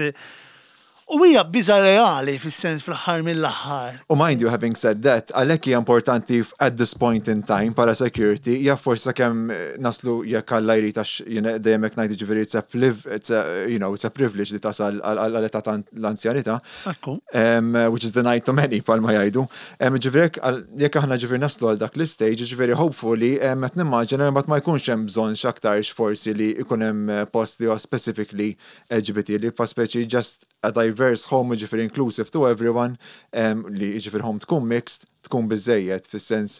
U hija biża reali fis-sens fl-aħħar mill-aħħar. U mind you, having said that, għalhekk hija importanti f- at this point in time para security, hija forsi sakemm eh, naslu jekk Alla jrid, għax jiena dejjem hekk ngħid, ġifieri it's a pliv, it's a, you know, it's a privilege li tasal għal età ta' l-anzjanità. Ekku. Um, which is denied to many palma jgħidu. Um, ġifieri jekk għal- jekk aħna ġifieri naslu għal dak l-stage, ġifieri hopefully um, qed nimmaġina mbagħad ma jkunx hemm bżonn x'aktarx forsi li jkun hemm eh, post li huwa specifically L G B T, li pa speċi just a diverse home, ġifieri inclusive to everyone, um, li ġifieri home tkun mixed, tkun biżejjed fis-sens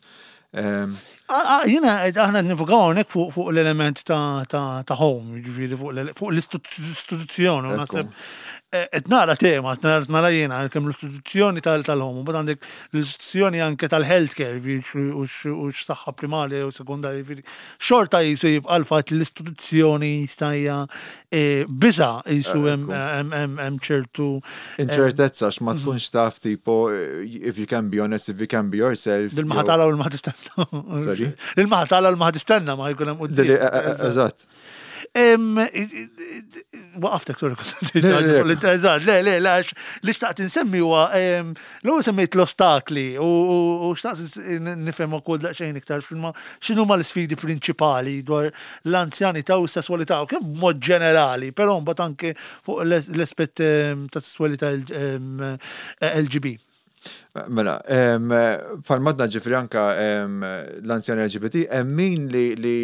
um, Ah, ah, Jiena aħna nifukaw hawnhekk fuq fuq l-element ta' ta' ta' home, ġifieri fuq l- fuq l-istituzzjoni. U Ekku. naħseb eh, qed nara tema, qed nara nara jiena kemm l-istituzzjoni tal- tal-home, u mbagħad għandek l-istituzzjoni anke tal-healthcare, ġifieri u x- u x-saħħa primarja u sekundarja, ġifieri xorta jisu jibqa' l-fatt li l-istituzzjoni stajja eh, biża jisu hemm Ekku. hemm- hemm hemm ċertu Inċertezza għax ma tkunx taf tipo if you can be honest, if you can be yourself. Dil-maħa jew- tala u l-maħa tistenna. Sorry? Il-maħa tala u l-maħa tistenna ma jkun hemm Dili- quddiem. eh, eh, Eżatt. Em, i- i- Waqaftek, sorry. Le, le, le. Eżatt, le, le, le, għax li xtaqt insemmi huwa em, l-ewwel semmejt l-ostakli u u- u xtaqt nifhem ukoll daqsxejn iktar x'inhuma x'inhuma l-isfidi prinċipali dwar l-anzjanità u s-sesswalità u kemm b'mod ġenerali, però mbagħad anke fuq l-aspett em, ta' sesswalità em, L G B. Mela, bħalma għedna, ġifieri, anka l-anzjani L G B T, hemm min li li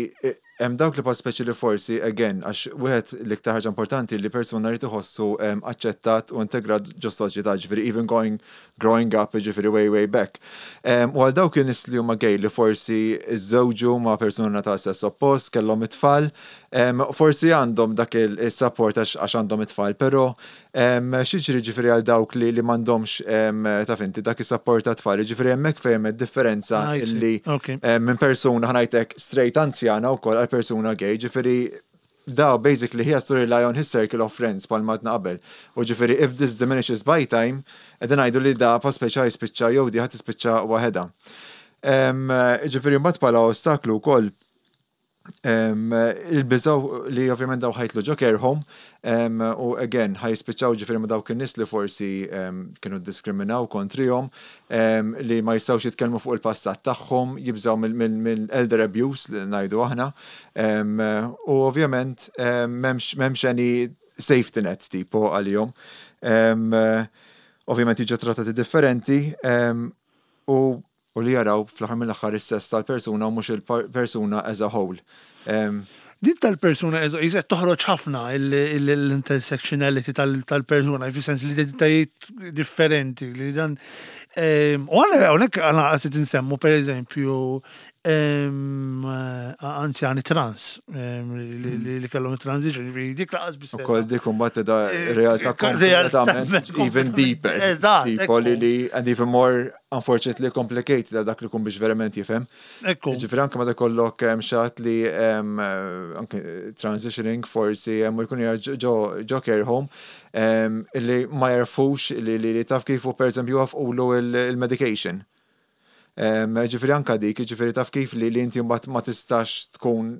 hemm dawk li pa speċi li forsi, again, għax wieħed l-iktar ħaġa importanti li persuna li tħossu aċċettat u integrat ġo soċjetà, ġifieri even going growing up, ġifieri way way back. U għal dawk in-nies li huma gay li forsi iżżewġu ma' persuna ta' sess oppost, kellhom it-tfal, forsi għandhom dak il-support għax għandhom it-tfal, però x'jiġri, ġifieri, għal dawk li li m'għandhomx, taf inti, dak is-support ta' tfal, ġifieri hemmhekk fejn hemm differenza li minn persuna, ħa ngħidlek, straight anzjana wkoll għal persuna gay, ġifieri daw basically he has to rely on his circle of friends, bħalma għedna qabel. U ġifieri if this diminishes by time, qegħdin ngħidu li da pa speċa jispiċċa jew di ħa tispiċċa waħedha. Ġifieri mbagħad bħala ostaklu wkoll il-biża' li ovvjament daw ħa jitilgħu ġo care home u again ħa jispiċċaw ġifieri ma' dawk in-nies li forsi kienu diskriminaw kontrihom, li ma jistgħux jitkellmu fuq il-passat tagħhom, jibżaw mill-elder abuse li ngħidu aħna, u ovvjament m'hemmx any safety net tipo għalihom. Ovvjament jiġu trattati differenti u u li jaraw fl-aħħar mill-aħħar is-sess tal-persuna u mhux il-persuna as a whole. Din tal-persuna jizet toħroġ ħafna l-intersectionality tal-persuna, fi sens l-identitajiet differenti li dan. U għana hawnhekk għana għasit nsemmu, per eżempju, anzjani trans li kellhom transition, dik lanqas biss. Ukoll dik imbagħad da eh, realtà kompletament even deeper. Eżatt. Tipo li li and even more unfortunately complicated għal dak li kun biex verament jifhem. Ekku. Ġifieri anke meta kollok xi ħadd li anke transitioning forsi u jkun ġo care home li ma jarfux li li taf kif u per eżempju waqfulu il-medication. Ġifieri anka dik, ġifieri taf kif li li inti mbagħad ma tistax tkun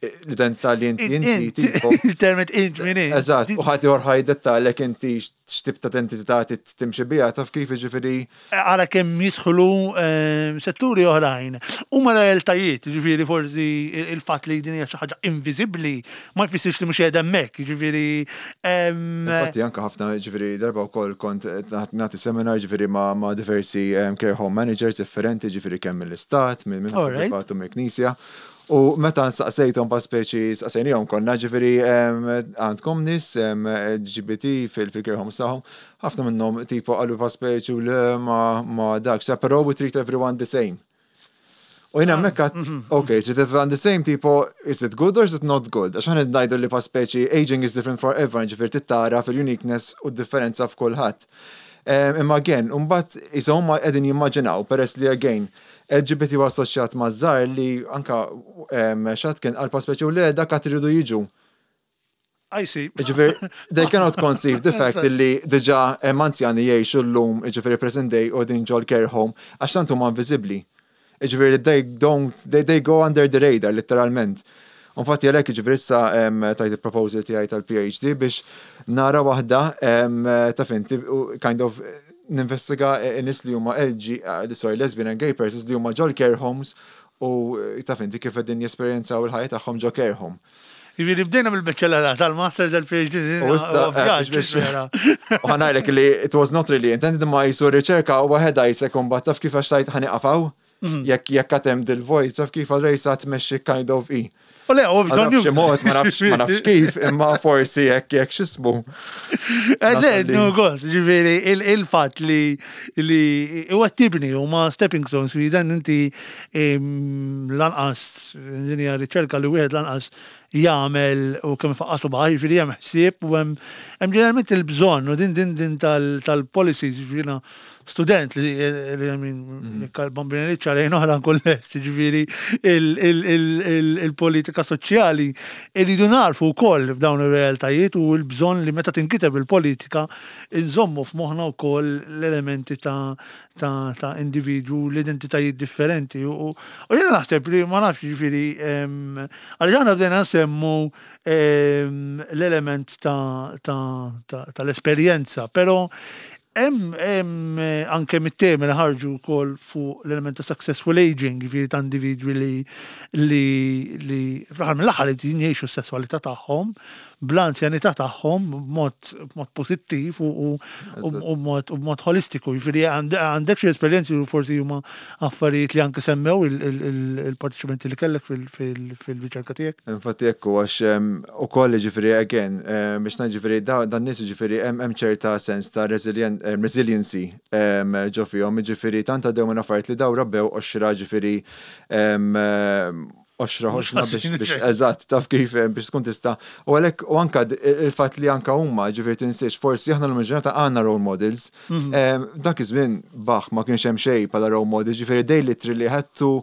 l-identità li inti inti tipo. Il-termet int min. Eżatt, u ħadd ieħor ħa jiddettalek inti x'tip ta' identità timxi biha, taf kif, ġifieri. Għara kemm jidħlu ehm, setturi oħrajn. U ma realtajiet, ġifieri forsi il-fatt li din hija xi ħaġa inviżibbli ma jfissirx li mhux qiegħda hemmhekk, ġifieri. Ehm, Infatti anke ħafna, ġifieri darba wkoll kont nagħti seminar, ġifieri, ma' diversi ehm, care home managers differenti, ġifieri kemm mill-istat, minn privatu, mill-knisja. U meta nsaqsejthom pa speċi saqsejnihom konna, ġifieri, għandkom nies L G B T fil-care homes tagħhom, ħafna minnhom tipo qalu pa speċi u le ma ma dak, sa però we treat everyone the same. U jiena ah, mekka, mhm. ok, treat everyone the same, tipo, is it good or is it not good? Għax ħan ngħidu li pa speċi aging is different for everyone, ġifieri tittara fil-uniqueness u differenza f'kulħadd. Imma again, mbagħad huma qegħdin jimmaġinaw, peress li again, L G B T huwa assoċjat ma' żgħar, li anka xi ħadd kien qal pa speċi u le dak għad iridu jiġu. I see. Ġifieri, they cannot conceive the fact li diġà hemm anzjani jgħixu llum, ġifieri present day, u din ġol care home, għax tant huma inviżibbli. Ġifieri, they don't, they, they go under the radar, literalment. Infatti għalhekk, ġifieri, issa tajt il-proposal tiegħi tal-P H D biex nara waħda, taf inti, kind of ninvestiga n-nies li huma L G, eh, sorry, lesbian and gay persons li huma ġol care homes u taf inti kif qegħdin jesperjenzaw il-ħajja tagħhom ġo care home. Jiġifieri bdejna mill-bachelor tal-master tal-P H D. U issa, eh, u ħa ngħidlek li it was not really intended, ma jisu riċerka u waħedha jisek mbagħad taf kif għax tajt ħa nieqaf hawn, mhm. jekk jekk għatem dil-vojt, taf kif għal-rejsa tmexxi kind of i. U le, u bżonn Xi mod, ma nafx ma nafx kif, imma forsi jekk jekk x'ismu. Eh, le, no gost, ġifieri il-fatt li li huwa tibni u ma stepping stones li dan inti lanqas din hija riċerka li wieħed lanqas jagħmel u kemm faqqasu baħ, ġifieri hemm ħsieb u hemm ġeneralment il-bżonn u din din din tal-policies, ġifieri student li li għamin mhm. bambini ċarajn oħra nkun lest, ġifieri il-politika soċjali irridu narfu wkoll f'dawn ir-realtajiet u l-bżonn li meta tinkiteb il-politika nżommu f'moħħna wkoll l-elementi ta' ta' individwu, l-identitajiet differenti. U jiena naħseb li ma nafx, ġifieri, għaliex aħna bdejna nsemmu l-element tal-esperjenza, però hemm hemm eh, anke mit-temi li ħarġu wkoll fuq l-element ta' successful aging, jiġifieri ta' individwi li li li fl-aħħar mill-aħħar li jgħixu s-sesswalità tagħhom bl-anzjanità tagħhom b'mod b'mod pożittiv u u u b'mod u b'mod holistiku. Jiġifieri għandek xi esperjenzi u forsi huma affarijiet li anke semmew il-parteċipanti li kellek fil-riċerka tiegħek? Infatti ekku, għax ukoll, ġifieri, again, biex ngħid, ġifieri, dan nies, ġifieri, hemm ċerta sens ta' resiliency ġo fihom, ġifieri tant għaddew minn affarijiet li daw rabbew qoxra, ġifieri qoxra ħoxna biex, eżatt, taf kif, biex tkun tista'. U għalhekk u anka il-fatt li anka huma, ġifieri, tinsiex, forsi aħna l-ġurnata għandna role models. Mhm. Dak iż-żmien baħ ma kienx hemm xejn bħala role models, ġifieri they literally had to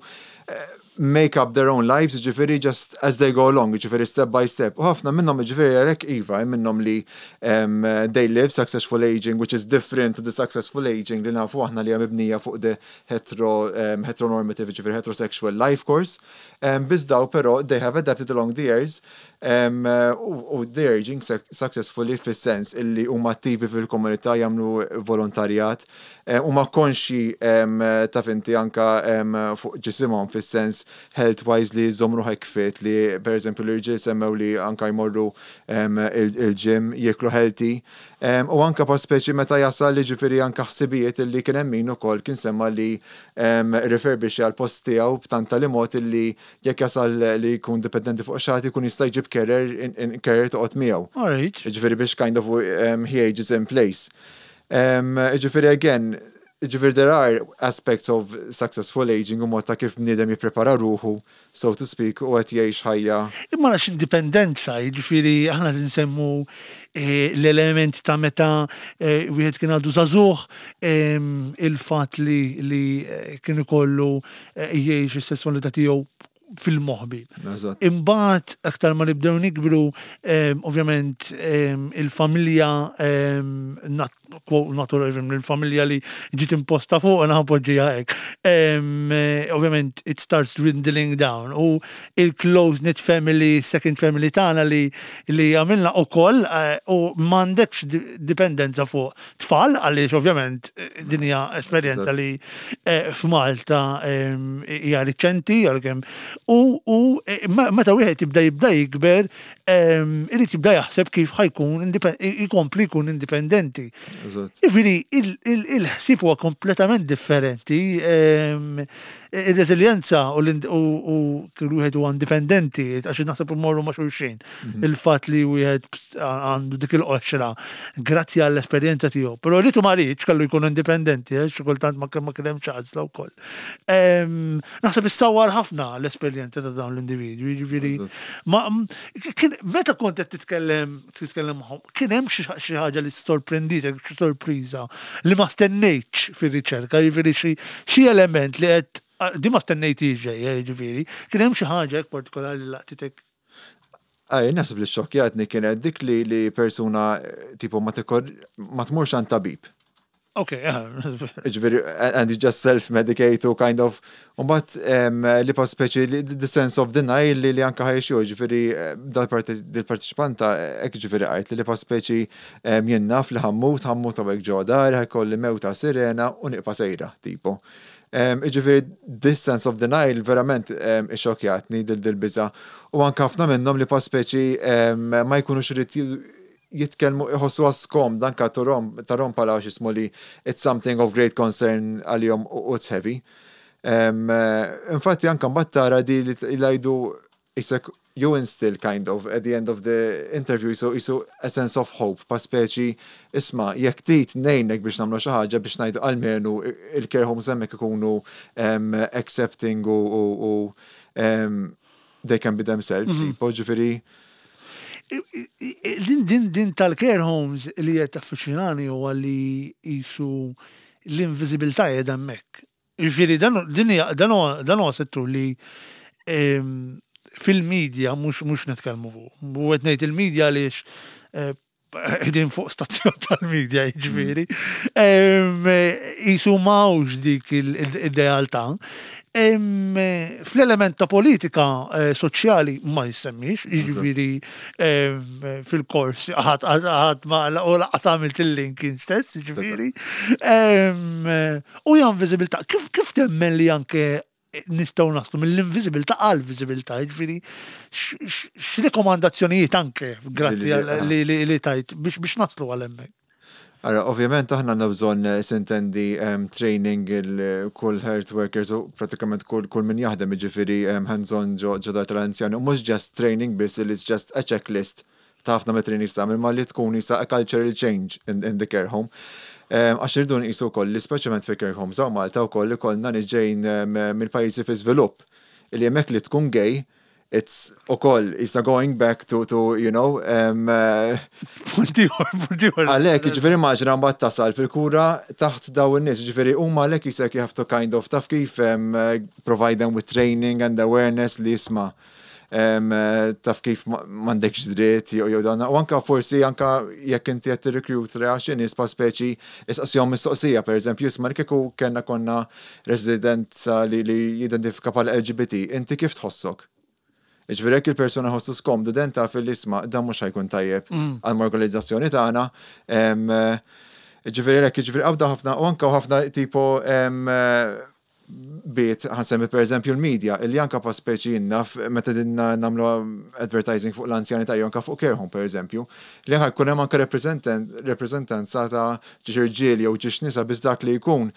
eh, make up their own lives, ġifieri, just as they go along, ġifieri, step by step. U ħafna minnhom, ġifieri, għalhekk iva, minnhom li um, they live successful aging, which is different to the successful aging li nafu aħna li hija mibnija fuq the hetero, um, heteronormative, ġifieri, heterosexual life course. Um, Biss daw però they have adapted along the years um, u they're aging successfully fis-sens illi huma attivi fil-komunità, jagħmlu volontarjat, huma konxi ta' finti anka fuq ġisimhom fis-sens health-wise li jżommu ruħek fit, li per eżempju l-irġiel semmew li anka jmorru il-gym, jieklu healthy. U anka pa speċi meta jasal li, ġifieri, anka ħsibijiet illi kien hemm min ukoll kien semma li refurbish għal post tiegħu b'tanta li mod illi jekk jasal li jkun dipendenti fuq xi ħadd, jkun jista' jġib carer carer toqgħod miegħu. Ġifieri biex kind of um, he ages in place. Um, ġifieri again, ġifieri there are aspects of successful aging u mod ta' kif bniedem jipprepara ruħu, so to speak, u qed jgħix ħajja. Imma għax indipendenza, jiġifieri aħna nsemmu eh, l-element ta' meta eh, wieħed kien għadu żagħżugħ, il-fatt li li eh, kien ikollu jgħix is-sesswalità tiegħu fil-moħbi. Imbagħad aktar ma nibdew nikbru, ovvjament il-familja natural, il-familja li ġiet imposta fuq naħpoġġija hekk. Ovvjament it starts dwindling down u il-close knit family, second family tagħna li li għamilna ukoll eh, u m'għandekx dipendenza fuq tfal, għaliex ovvjament eh, din hija esperjenza li eh, f'Malta hija riċenti għalkemm u u meta wieħed jibda jibda jikber, irid jibda jaħseb kif ħa jkun ikompli jkun indipendenti. Jiġifieri, il-ħsieb huwa kompletament differenti. Il-reżiljenza u wieħed huwa indipendenti, għax naħseb imorru ma' xulxin. Mhm. Il-fatt li wieħed għandu dik il-qoxra, grazzi għall-esperjenza tiegħu. Però li tu ma riedx kellu jkun indipendenti, eh, xi kultant ma kien hemm ċans wkoll. Naħseb issawwar ħafna l-esperjenza ta' dawn l-individwi, jiġifieri. Meta kont qed titkellem titkellem magħhom, kien hemm xi ħaġa li sorprenditek, xi sorpriża li ma stennejtx fir-riċerka, jiġifieri xi element li qed di ma stennejtix ġej, eh, jiġifieri, kien hemm xi ħaġa hekk partikolari li laqtitek? Għaj, naħseb li xokjatni kienet dik li li persuna tipo ma ma tmurx għand tabib. Ok, Ġifieri, and you just self-medicate u kind of, but li pa speċi the sense of denial li li anka ħajxu, ġifieri, dal-partiċipanta, ek ġifieri għajt li li pa speċi jien naf li ħa mmut, ħa mmut hawnhekk ġo dar, ħa jkolli mewta sirena u nibqa' sejra, tipo. Ġifieri, this sense of denial verament ixxokkjatni dil-biża. U anka ħafna minnhom li pa speċi ma jkunux irid jitkellmu, iħossu għaskom danka tarom tarom pala xismu li it's something of great concern għalihom u it's heavy. Infatti anka mbagħad tara di li jgħidu isek you instill kind of at the end of the interview so isu a sense of hope, pa speċi isma', jekk trid ngħinek biex nagħmlu xi ħaġa biex ngħidu almenu il-care homes hemmhekk ikunu accepting u they can be themselves, mhm. tipo, ġifieri. Din din din tal-care homes li qed taffaxxinani huwa li jisu l-inviżibilità qiegħda hemmhekk. Jiġifieri dan huwa settur li fil-medja mhux mhux nitkellmu fuq. U qed ngħid il-medja għaliex eh, qegħdin fuq stazzjon tal-medja, jiġifieri. Jisu m'hawnx dik il-realtà. Fl-element ta' politika eh, soċjali ma jissemmix, jiġifieri fil-kors ħadd ħadd ma u lanqas għamilt il-link stess, jiġifieri. U hija inviżibilità. Kif kif temmen li anke nistgħu naslu mill-inviżibilità għal viżibilità, jiġifieri x'rekomandazzjonijiet anke grazzi li li tajt biex biex naslu għal hemmhekk? Ara, ovvjament aħna għandna bżonn, eh, s'intendi, um, training il kull health workers u pratikament kull, kull min jaħdem, jiġifieri um, hands-on ġo ġo dar tal-anzjani, u mhux just training biss, it's just a checklist ta' ħafna me trainings tagħmel, ma li tkun isa a cultural change in, in the care home. Um, Għax irridu nqisu wkoll li speċjalment fi care homes hawn Malta wkoll li kollna nies ġejjin um, mill-pajjiżi fi żvilupp. Illi hemmhekk li tkun gay, it's ukoll is going back to, to you know, um, uh, Punti ieħor, punti ieħor. Għalhekk, ġifieri immaġina mbagħad tasal fil-kura taħt daw in-nies, ġifieri huma għalhekk jisek you have to kind of, taf kif, um, uh, provide them with training and awareness li jisma' um, uh, taf kif ma- m'għandekx dritt jew jew dan. U anka forsi anka jekk inti qed tirrekruta xi nies, pa speċi issaqsihom mistoqsija, pereżempju, isma', kieku kellna konna residenza li li jidentifika bħala L G B T, inti kif tħossok? Ġifieri jekk il-persona ħossu skomdu, den taf il-isma dan mhux ħa jkun tajjeb għall-organizzazzjoni tagħna. Em, eh, Ġifieri hekk, ġifieri għawda ħafna u anka ħafna tipo em, eh, bit ħa nsemmi per eżempju l-media, illi anka pa speċi naf meta dinna nagħmlu advertising fuq l-anzjani ta' anka fuq care home per eżempju, li anka jkun hemm anka reprezentanza ta' ġiex irġiel jew ġiex nisa, biss dak li jkun.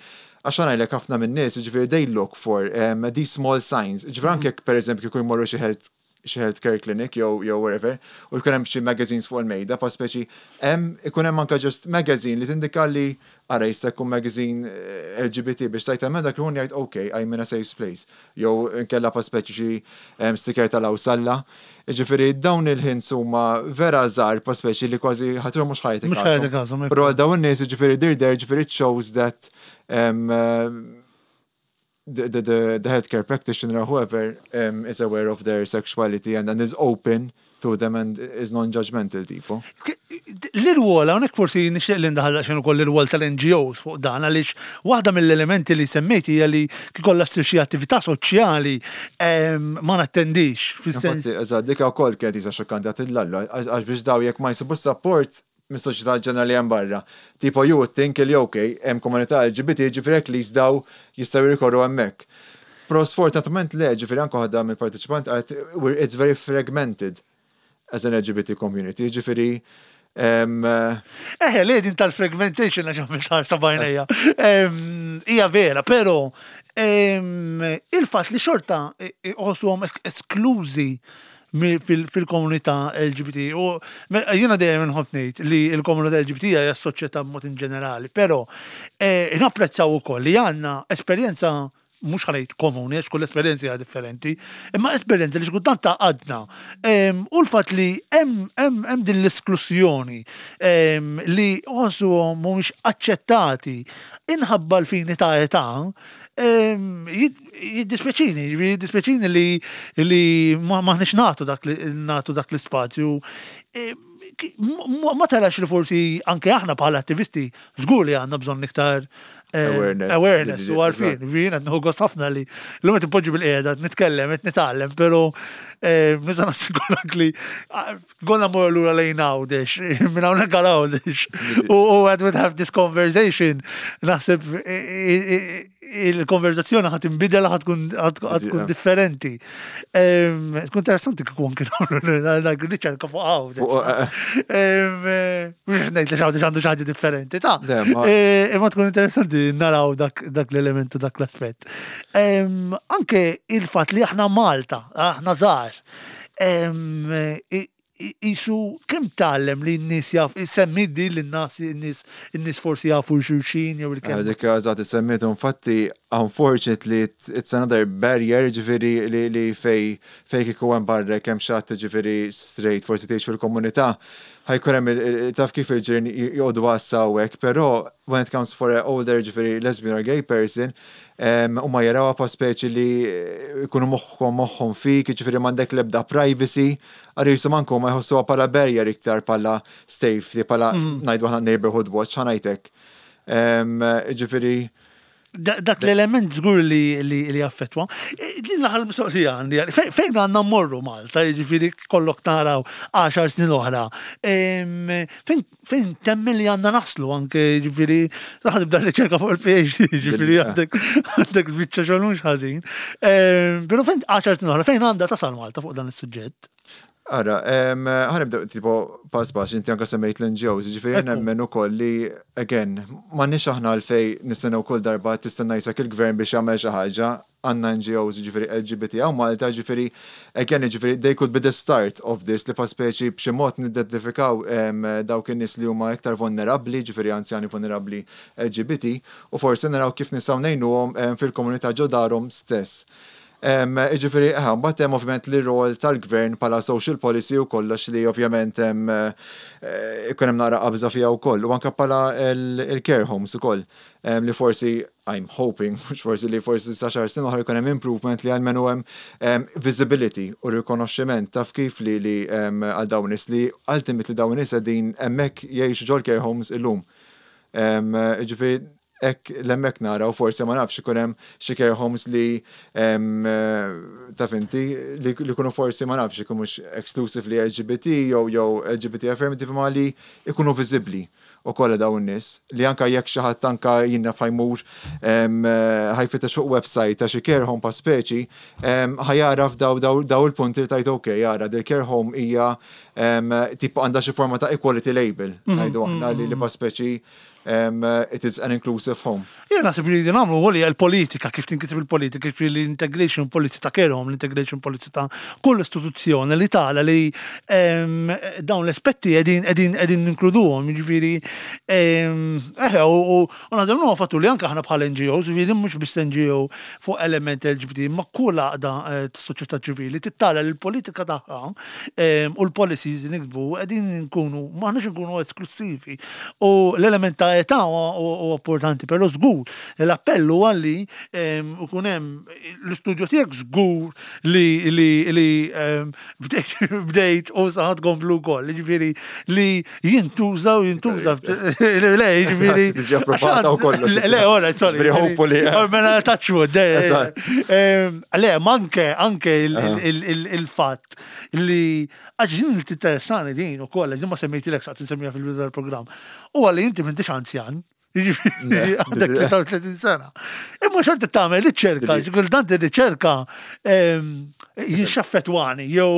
Għax ngħidlek, ħafna minn nies, ġifieri they look for um, these small signs. Ġifieri anke jekk per eżempju jkun jmorru xi health xi health care clinic jew jew wherever, u jkun hemm xi magazines fuq il-mejda, pa speċi hemm ikun hemm anke just magazine li tindika li ara jista' jkun magazine eh, L G B T, biex tajt hemm dak ikun jgħid, "Okay, I'm in a safe place." Jew inkella pa speċi xi em, sticker tal-Awsalla. Ġifieri dawn il-hints huma vera żgħar, pa speċi li kważi ħatru mhux ħajtek. Mhux ħajtek każhom, Però għal dawn in-nies, ġifieri they're there, ġifieri it shows that um, uh, the, the, the, the healthcare practitioner or whoever um, is aware of their sexuality and, and is open to them and is non-judgmental tipo. L-irwol, hawnhekk forsi nixtieq li ndaħal xejn ukoll l-irwol tal-N G Os fuq dan, għaliex waħda mill-elementi li semmejti hija li kikolla ssir xi attività soċjali em, ma nattendix, fis-sens. Infatti, eżatt, dik ukoll kienet isa xokkanti għat il-lallu, għax biex daw jekk ma jsibu support mis-soċjetà ġenerali hemm barra. Tipo you would think li okay, hemm komunità L G B T, ġifieri hekk li jistgħu jistgħu jirrikorru hemmhekk. Però sfortunatament le, ġifieri anke ħadda mill-partiċipant qalet we're- it's very fragmented as an L G B T community, ġifieri em, eh, Eħe, li din tal-fragmentation għax għamilt ħarsa bajnejja. Em, Hija vera, pero em, il-fatt li xorta uħossuhom esklużi mi- fil- fil-komunità L G B T. U me- jiena dejjem inħobb ngħid li l-komunità L G B T hija s-soċjetà b'mod in ġenerali, però eh, napprezzaw ukoll li għandna esperjenza, mhux ħa ngħid komuni, għax kull esperjenza hija differenti, imma esperjenza li xkultant tgħaqqadna. Em, U l-fatt li hemm hemm hemm din l-esklusjoni em, li ħossuhom mhumiex aċċettati inħabba l-fini ta' età, em, jid- jiddispjaċini, jiddispjaċini li li ma maħniex nagħtu dak li nagħtu dak l-ispazju. Em, ki- ma ma tarax li forsi anke aħna bħala attivisti żgur li għandna bżonn iktar eh, Awareness. awareness u għarfien. Jien qed nieħu gost ħafna li l-lum qed ipoġġi bil-qiegħda qed nitkellem, qed nitgħallem, però eh, nista' nassigurak li ah, gonna mmur lura lejn Għawdex, minn hawnhekk għal Għawdex. U u għad would have this conversation, naħseb eh, eh, il-konverzazzjoni ħa tinbidel, ħa tkun ħa tkun Yeah. differenti. Em, Tkun interessanti kieku anke nagħmlu riċerka fuq Għawdex. Fuq, eh, Em, eh, Mhux ngħid li Għawdex għandu xi ħaġa differenti, ta' Le, ma- Eh, Imma tkun interessanti naraw dak dak l-elementu, dak l-aspett. Em, Anke il-fatt li aħna Malta, aħna żgħar, em, i- i- Isu kemm tgħallem li n-nies jaf, semmi di li n-nas n-nies n-nies forsi jafu xulxin jew il-kemm. Dik eżatt semmitu, infatti, unfortunately it's it's another barrier, ġifieri li, li fej fej kieku hemm barra kemm xatt, ġifieri straight, forsi tgħix fil-komunità, ħa jkun hemm il- il- taf kif, il-ġirien joqogħdu għassa, però when it comes for an older, ġifieri lesbian or gay person, um, huma jarawha pa speċi li jkunu moħħhom moħħhom fik, ġifieri m'għandek l-ebda privacy, għar jisu manku ma jħossuha bħala barrier iktar bħala safety, bħala ngħidu aħna neighborhood watch, ħa ngħidlek. Um, ġifieri, Dak l-element żgur li li affettwa. E, din l-aħħar mistoqsija għandi, fejn għandna mmorru Malta, jiġifieri kollok naraw għaxar snin oħra. Fejn temmen li għandna naslu anke, jiġifieri raħ nibda riċerka fuq il-P H D, jiġifieri għandek għandek biċċa xogħol mhux ħażin. Però fejn għaxar snin oħra, fejn għandha tasal Malta fuq dan is-suġġett? Ara, ħa nibda tipo pass pass, inti anka semmejt l-N G Os, ġifieri nemmen ukoll li, again, m'għandniex aħna għalfej nistennew kull darba tistenna jsak il-gvern biex jagħmel xi ħaġa. Għandna N G Os, ġifieri L G B T hawn Malta, ġifieri, again, ġifieri, they could be the start of this, li pa speċi b'xi mod nidentifikaw dawk in-nies li huma iktar vulnerabbli, ġifieri anzjani vulnerabbli L G B T, u forsi naraw kif nistgħu ngħinuhom fil-komunità ġo darhom stess. Ġifieri, mbagħad hemm ovvjament li rol tal-gvern bħala social policy u kollox li ovvjament hemm eh, ikun hemm naqra qabża fiha wkoll u anke bħala il-care homes ukoll li forsi I'm hoping, mhux forsi, li forsi sa għaxar snin oħra jkun hemm improvement li għalmenu hemm visibility u rikonoxximent taf kif li li għal dawn nies li ultimately dawn nies qegħdin hemmhekk jgħixu ġol care homes illum. Ġifieri, hekk hemmhekk nara u forsi, ma nafx, ikun hemm xi care homes li taf inti li jkunu forsi, ma nafx, ikun mhux exclusively L G B T jew jew L G B T affirmative, ma li ikunu viżibbli u kollha dawn nies li anka jekk xi ħadd anka jinna ħa jmur ħa jfittex fuq website ta' xi care home pa' speċi, ħa jaraf daw daw il-punti li tajt, ok, jara dil care home hija tipo għandha xi forma ta' equality label, mhm, ngħidu aħna, li li pa' speċi um, it is an inclusive home. Jena naħseb li nagħmlu għoli l-politika, kif tinkiteb il-politika, kif l-integration policy ta' care home, l-integration policy ta' kull istituzzjoni li tala li em, dawn l-aspetti qegħdin qegħdin qegħdin ninkluduhom, jiġifieri em, eħe, u u u naħdem huwa fattu li anke aħna bħal N G Os, jiġifieri mhux biss N G O fuq element L G B T, ma kull għaqda eh, tas-soċjetà ċivili tittala li l-politika tagħha em, u l-policies li niktbu qegħdin nkunu m'aħniex nkunu esklusivi. U l-element ta' età huwa huwa importanti, però żgur l-appell huwa li em, ikun hemm l-istudju tiegħek, żgur li li li em, bdejt bdejt u sa ħa tkomplu wkoll, jiġifieri li jintuża u jintuża. Le, jiġifieri. Tiġi approvata u kollox. Le, le, ora, sorry. Ġifieri hopefully, eh. Oh, mela touch wood, eh, Eżatt. em, Le, ma anke, anke il- il- il- il- il-fatt li għax din tinteressani din u koll, din ma semmejtilek, saqt nsemmija fil-bidu tal-programm. U għalli inti m'intix anzjan, jiġifieri għandek tlieta u tletin sena. Imma xorta tagħmel riċerka, kultant ir-riċerka jixaffetwani, jew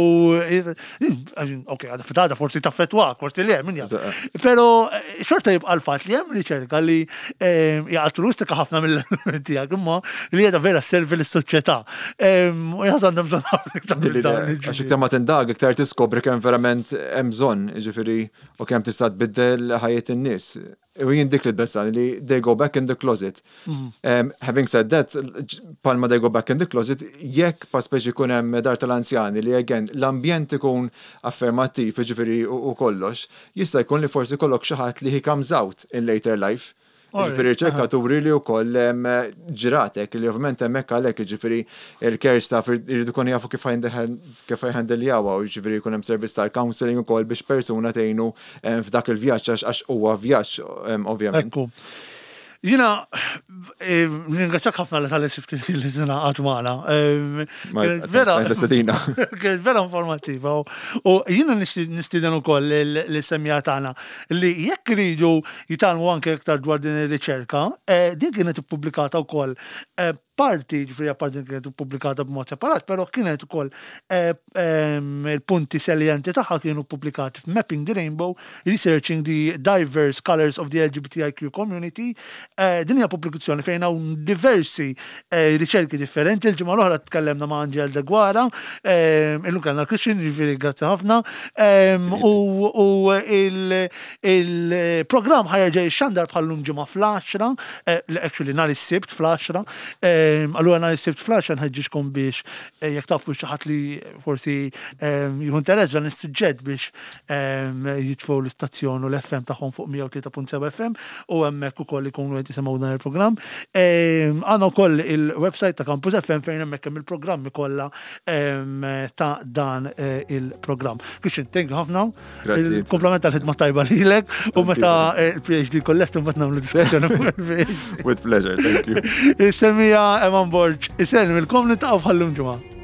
ok, għada fitada forsi taffetwak, forsi le, min jaf. Pero eh, xorta jibqa l-fatt li hemm riċerka li hija altruistika ħafna mill-elementi tiegħek, imma li qiegħda vera servi lis-soċjetà. U jaħseb għandna bżonn ħafna iktar minn dawn, Għax jiġifieri. iktar ma tindag, iktar tiskopri kemm verament hemm bżonn, ġifieri, u kemm tista' tbiddel ħajjet in-nies. U jien dik li d-dassan li they go back in the closet. Um, having said that, palma they go back in the closet, jekk pa speċi jkun hemm dar tal-anzjani li again l-ambjent ikun affermattiv, ġifieri u u kollox, jista' jkun li forsi kollok xi ħadd li he comes out in later life. Alright, Ġifieri riċerkaturi li wkoll em, ġratek li ovvjament hemmhekk għalhekk, ġifieri, il-care staff irridu jkunu jafu kif kif ħa jhandljawha u ġifieri jkun hemm servizz tal-counseling ukoll biex persuna tgħinu em, f'dak il-vjaġġ għax għax huwa vjaġġ em, ovvjament. Ekku. Jina, eh, ningrazzjak ħafna li talli sibti li tingħaqad magħna. Eh, Ma- kienet vera- tal-istedina. Kienet vera informattiva. U u jiena nistieden ukoll l-semmiegħa tagħna li jekk iridu jitgħallmu anke iktar dwar din ir-riċerka, eh, din kienet ippubblikata wkoll eh, parti, ġifieri apparti kienet ippubblikata b'mod separat, però kienet ukoll eh, em, il-punti salienti tagħha kienu ppubblikati f'Mapping the Rainbow, Researching the Diverse Colors of the L G B T I Q Community. Eh, Din hija pubblikazzjoni fejn hawn diversi eh, riċerki differenti. Il-ġimgħa l-oħra tkellemna ma' Angel Deguara, eh, illum kellna Christian, ġifieri grazzi ħafna. Em, U u il- il-programm ħa jerġa' jixxandar bħallum ġimgħa fl-għaxra, eh, actually nhar is-Sibt fl-għaxra, eh, Allura nhar is-Sibt filgħaxija nħeġġiġkom biex eh, jekk tafu xi ħadd li forsi jieħu interess dan is-suġġett biex jitfgħu l-istazzjon u l-F M tagħhom fuq mija u tlieta punt seba' F M u hemmhekk ukoll ikunu qed jisimgħu dan il-programm. Għandna wkoll il-website ta' Campus F M fejn hemmhekk hemm il-programmi kollha ta' dan eh, il-programm. Christian, thank you ħafna. Il-kompliment tal-ħidma tajba lilek u meta eh, il-P H D kollest mbagħad nagħmlu diskussjoni fuq il-P H D. With pleasure, thank you. Semija Eman Borg, isellmilkom, niltaqgħu bħal-lum ġimgħa.